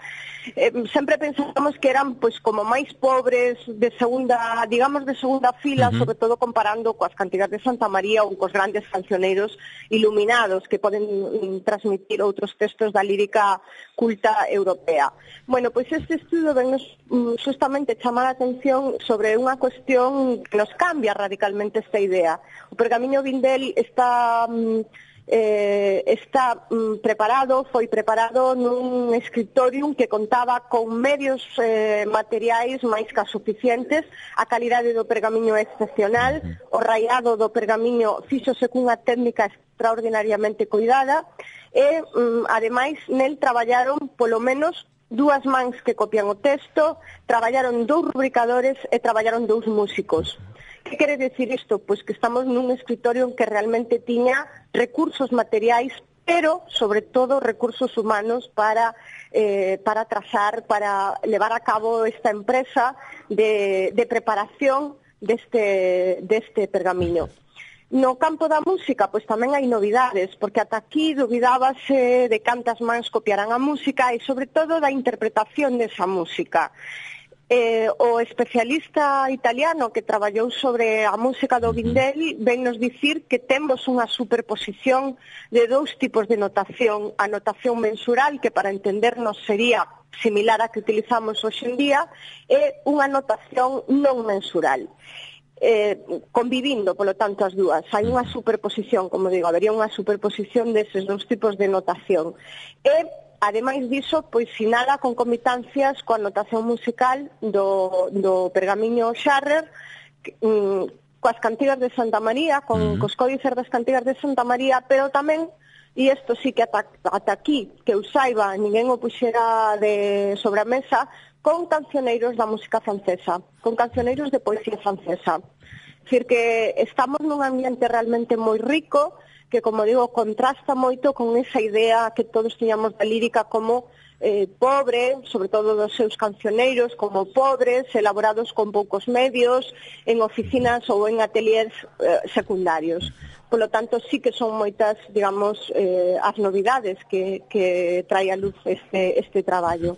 eh, sempre pensamos que eran pois como máis pobres, de segunda, digamos, de segunda fila, uh-huh. sobre todo comparando coas cantigas de Santa María ou cos grandes cancioneiros iluminados que poden mm, transmitir outros textos da lírica culta europea. Bueno, pois este estudo ven nos mm, justamente chamar a atención sobre unha cuestión que nos cambia radicalmente esta idea. O Pergamiño Vindel está mm, eh, está mm, preparado, foi preparado nun escritorium que contaba con medios eh, materiais máis que suficientes, a calidade do pergamiño é excepcional, o raiado do pergamiño fíxose cunha técnica extraordinariamente cuidada e, mm, ademais, nel traballaron polo menos dúas mans que copian o texto, traballaron dous rubricadores e traballaron dous músicos. Que quere decir isto? Pois que estamos nun escritorio que realmente tiña recursos materiais, pero, sobre todo, recursos humanos para, eh, para trazar, para levar a cabo esta empresa de, de preparación deste, deste pergamiño. No campo da música, pois tamén hai novidades, porque ata aquí dubidábase de cantas mans copiarán a música e, sobre todo, da interpretación desa música. Eh, o especialista italiano que traballou sobre a música do Vindel ven nos dicir que temos unha superposición de dous tipos de notación. A notación mensural, que para entendernos sería similar a que utilizamos hoxe en día, e unha notación non mensural. Eh, convivindo, polo tanto, as dúas. Hai unha superposición, como digo, habería unha superposición deses dous tipos de notación. E, ademais diso, pois sinala concomitancias coa notación musical do, do pergamiño Scharrer, mm, coas cantigas de Santa María, con uh-huh. cos códices das cantigas de Santa María, pero tamén, e isto sí que ata, ata aquí, que eu saiba, ninguén o puxera de sobre a mesa, con cancioneiros da música francesa, con cancioneiros de poesía francesa. É dicir, que estamos nun ambiente realmente moi rico, que, como digo, contrasta moito con esa idea que todos tiñamos da lírica como eh, pobre, sobre todo dos seus cancioneiros, como pobres, elaborados con poucos medios, en oficinas ou en ateliers eh, secundarios. Por lo tanto, sí que son moitas, digamos, eh, as novidades que, que trae a luz este, este traballo.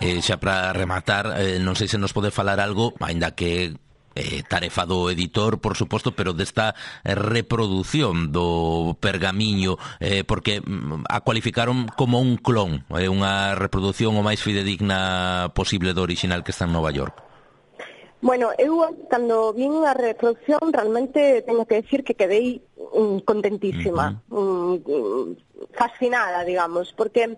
Eh, xa para rematar, eh, non sei se nos pode falar algo, aínda que eh, tarefa do editor, por suposto, pero desta reproducción do pergamiño, eh, porque a cualificaron como un clon, eh, unha reproducción o máis fidedigna posible do original que está en Nova York. Bueno, eu cando vin a reproducción realmente teño que decir que quedei um, contentísima, uh-huh. um, fascinada, digamos, porque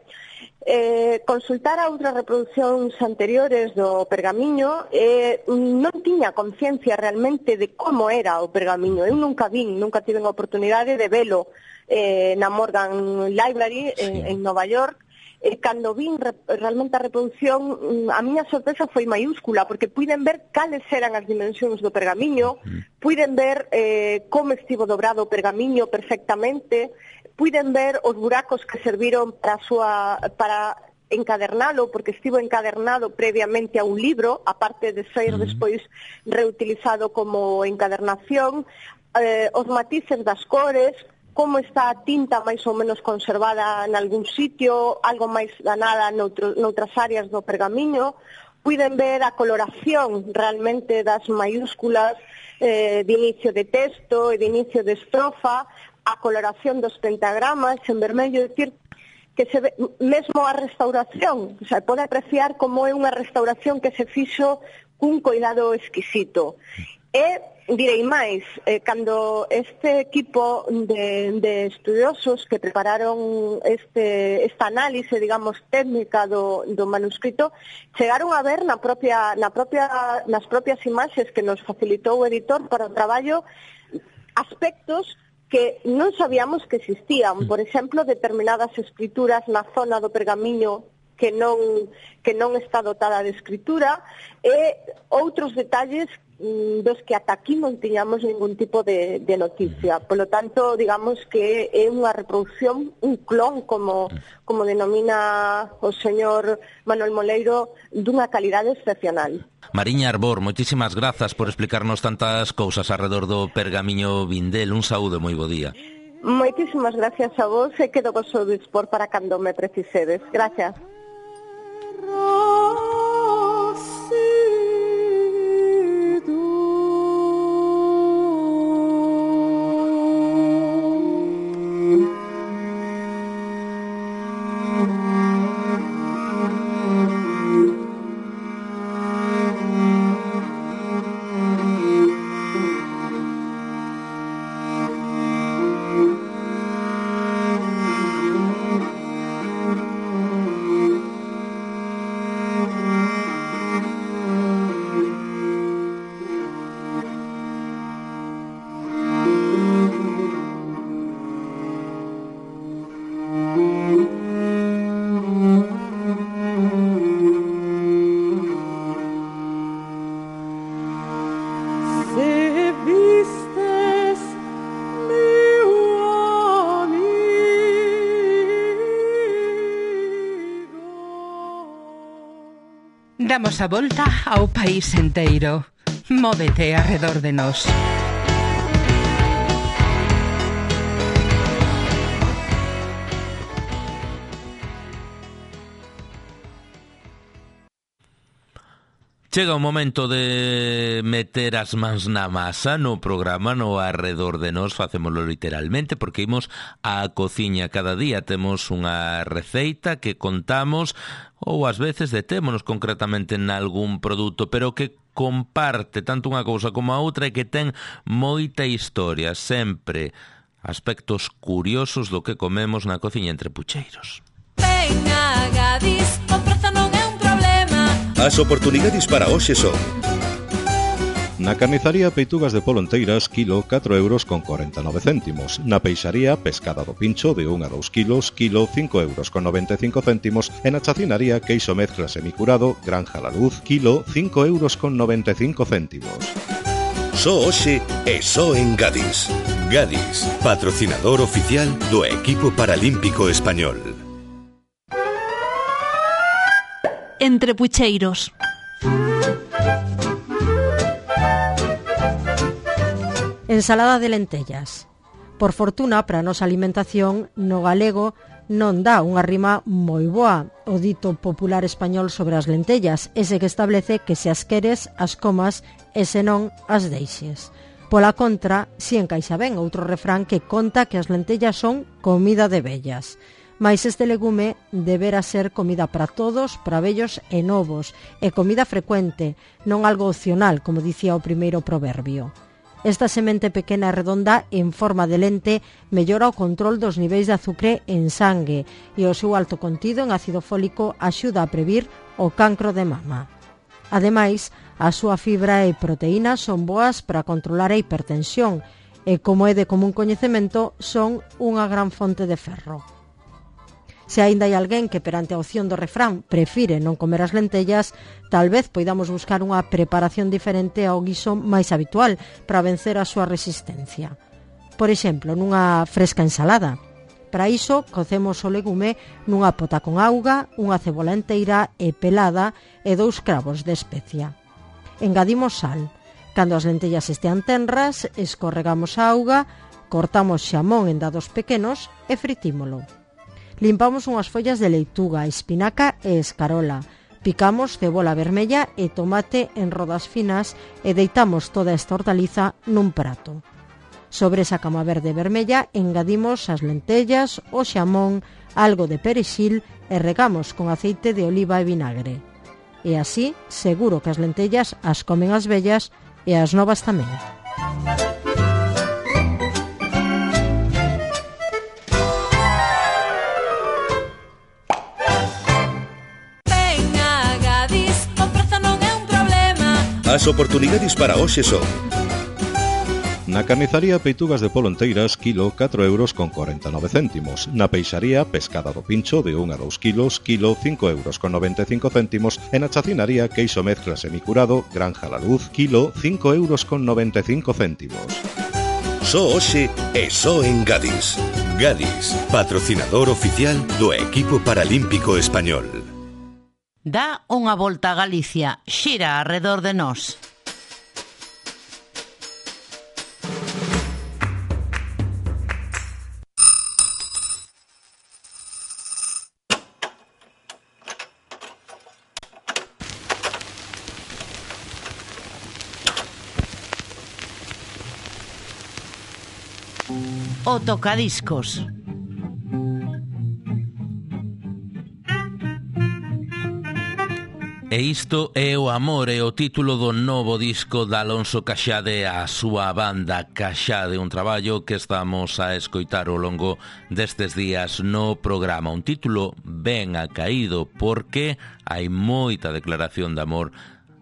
eh, consultar a outras reproduccións anteriores do pergamiño eh, non tiña conciencia realmente de como era o pergamiño. Eu nunca vin, nunca tive a oportunidade de velo eh, na Morgan Library sí. en, en Nova York. E cando vin re, realmente a reproducción, a miña sorpresa foi maiúscula, porque puiden ver cales eran as dimensións do pergamiño, puiden ver eh, como estivo dobrado o pergamiño perfectamente, puiden ver os buracos que serviron para a súa, para encadernalo, porque estivo encadernado previamente a un libro, aparte de ser despois reutilizado como encadernación. eh, os matices das cores, como está a tinta máis ou menos conservada en algún sitio, algo máis danada noutro, noutras áreas do pergamiño. Puiden ver a coloración realmente das maiúsculas eh, de inicio de texto e de inicio de estrofa, a coloración dos pentagramas en vermello, é dicir, que se ve, mesmo a restauración, o sea, pode apreciar como é unha restauración que se fixo cun cuidado exquisito. E direi máis, eh, cando este equipo de, de estudiosos que prepararon este, esta análise, digamos, técnica do, do manuscrito, chegaron a ver na propia, na propia, nas propias imaxes que nos facilitou o editor para o traballo aspectos que non sabíamos que existían. Por exemplo, determinadas escrituras na zona do pergamiño que non, que non está dotada de escritura, e outros detalles dos que ata aquí non tiñamos ningún tipo de, de noticia. Por lo tanto, digamos que é unha reproducción, un clon, como, como denomina o señor Manuel Moleiro, dunha calidade excepcional. Mariña Arbor, moitísimas grazas por explicarnos tantas cousas alrededor do pergamiño Vindel. Un saúdo, moi bo día. Moitísimas gracias a vos, e quedo vos ao dispor para cando me precisedes. Gracias. Damos a volta ao país enteiro. Móvete arredor de nós. Chega o momento de meter as mans na masa no programa, no arredor de nós, facémolo literalmente, porque imos á cociña cada día. Temos unha receita que contamos, ou ás veces detémonos concretamente en algún produto, pero que comparte tanto unha cousa como a outra e que ten moita historia, sempre aspectos curiosos do que comemos na cociña entre pucheiros. Venga, Gadis, o prezo non é un problema. As oportunidades para hoxe son: na carnizaría, peitugas de polonteiras, kilo, catro euros con corenta e nove céntimos. Na peixaría, pescada do pincho, de un a dous kilos, kilo, cinco euros con noventa e cinco céntimos. E na chacinaría, queixo mezcla semicurado, granja la luz, kilo, cinco euros con noventa e cinco céntimos. Só hoxe e só en Gadis. Gadis, patrocinador oficial do equipo paralímpico español. Entre pucheiros. Ensalada de lentellas. Por fortuna, para a nosa alimentación, no galego non dá unha rima moi boa o dito popular español sobre as lentellas, ese que establece que se as queres, as comas, e se non, as deixes. Pola contra, si encaixa ben outro refrán que conta que as lentellas son comida de vellas. Mais este legume debera ser comida para todos, para vellos e novos, e comida frecuente, non algo opcional, como dicía o primeiro proverbio. Esta semente pequena e redonda en forma de lente mellora o control dos niveis de azucre en sangue e o seu alto contido en ácido fólico axuda a previr o cancro de mama. Ademais, a súa fibra e proteínas son boas para controlar a hipertensión e, como é de común coñecemento, son unha gran fonte de ferro. Se aínda hai alguén que perante a opción do refrán prefire non comer as lentellas, tal vez poidamos buscar unha preparación diferente ao guiso máis habitual para vencer a súa resistencia. Por exemplo, nunha fresca ensalada. Para iso, cocemos o legume nunha pota con auga, unha cebola enteira e pelada e dous cravos de especia. Engadimos sal. Cando as lentellas estean tenras, escorregamos a auga, cortamos xamón en dados pequenos e fritímolo. Limpamos unhas follas de leituga, espinaca e escarola. Picamos cebola vermella e tomate en rodas finas e deitamos toda esta hortaliza nun prato. Sobre esa cama verde vermella engadimos as lentellas, o xamón, algo de perexil e regamos con aceite de oliva e vinagre. E así, seguro que as lentellas as comen as vellas e as novas tamén. As oportunidades para hoxe son: na carnizaría peitugas de polonteiras, kilo catro euros con corenta e nove céntimos. Na peixaría pescada do pincho de un a dous kilos, kilo cinco euros con noventa e cinco céntimos. E na chacinaría queixo mezcla semicurado, granja la luz, kilo cinco euros con noventa e cinco céntimos. Só hoxe e só en Gadis. Gadis, patrocinador oficial do equipo paralímpico español. Dá unha volta a Galicia, xira arredor de nós. O tocadiscos. E isto é o amor, é o título do novo disco de Alonso Caxade a súa banda Caxade, un traballo que estamos a escoitar ao longo destes días no programa. Un título ben acaído porque hai moita declaración de amor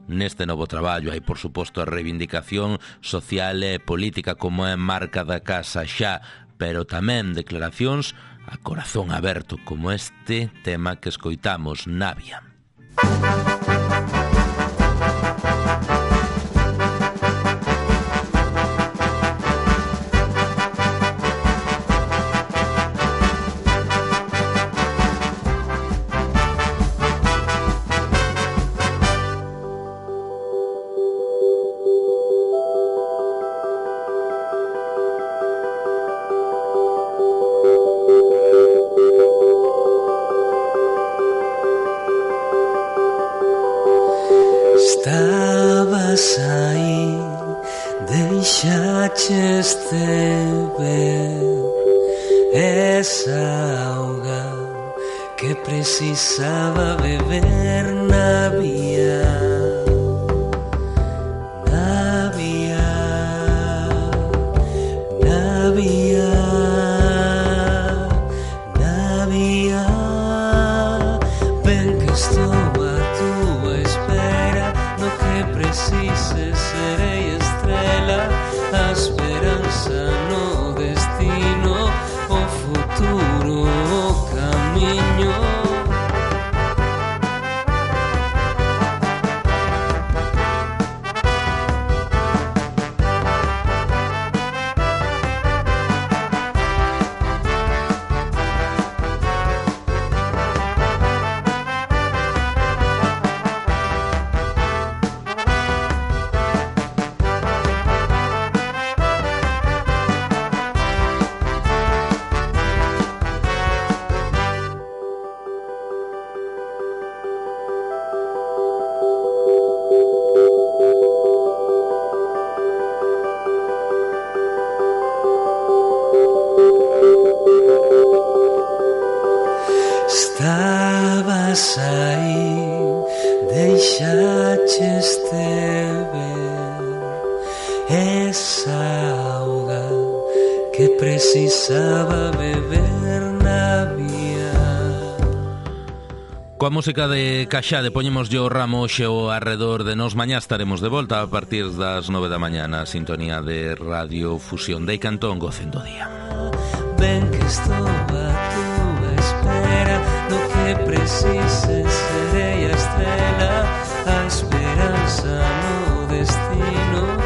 neste novo traballo. Hai, por suposto, a reivindicación social e política como é marca da casa xa, pero tamén declaracións a corazón aberto como este tema que escoitamos, Navia. Estabas aí, deixaches de ver esa auga que precisaba beber. Navia, Navia, Navia, Navia, ven que estou a tua espera. No que precises serei estrela, a esperanza no destino, o futuro, o camiño. Estabas aí, deixaches de ver esa auga que precisaba beber. Navia. Coa música de Caxade poñemos yo ramo xe o arredor de nos. Mañá estaremos de volta a partir das nove da mañá na sintonía de Radio Fusión. Dei Cantón, gocen do día. Ven que estou a tua espera, no que precises serei a estrela, a esperanza no destino.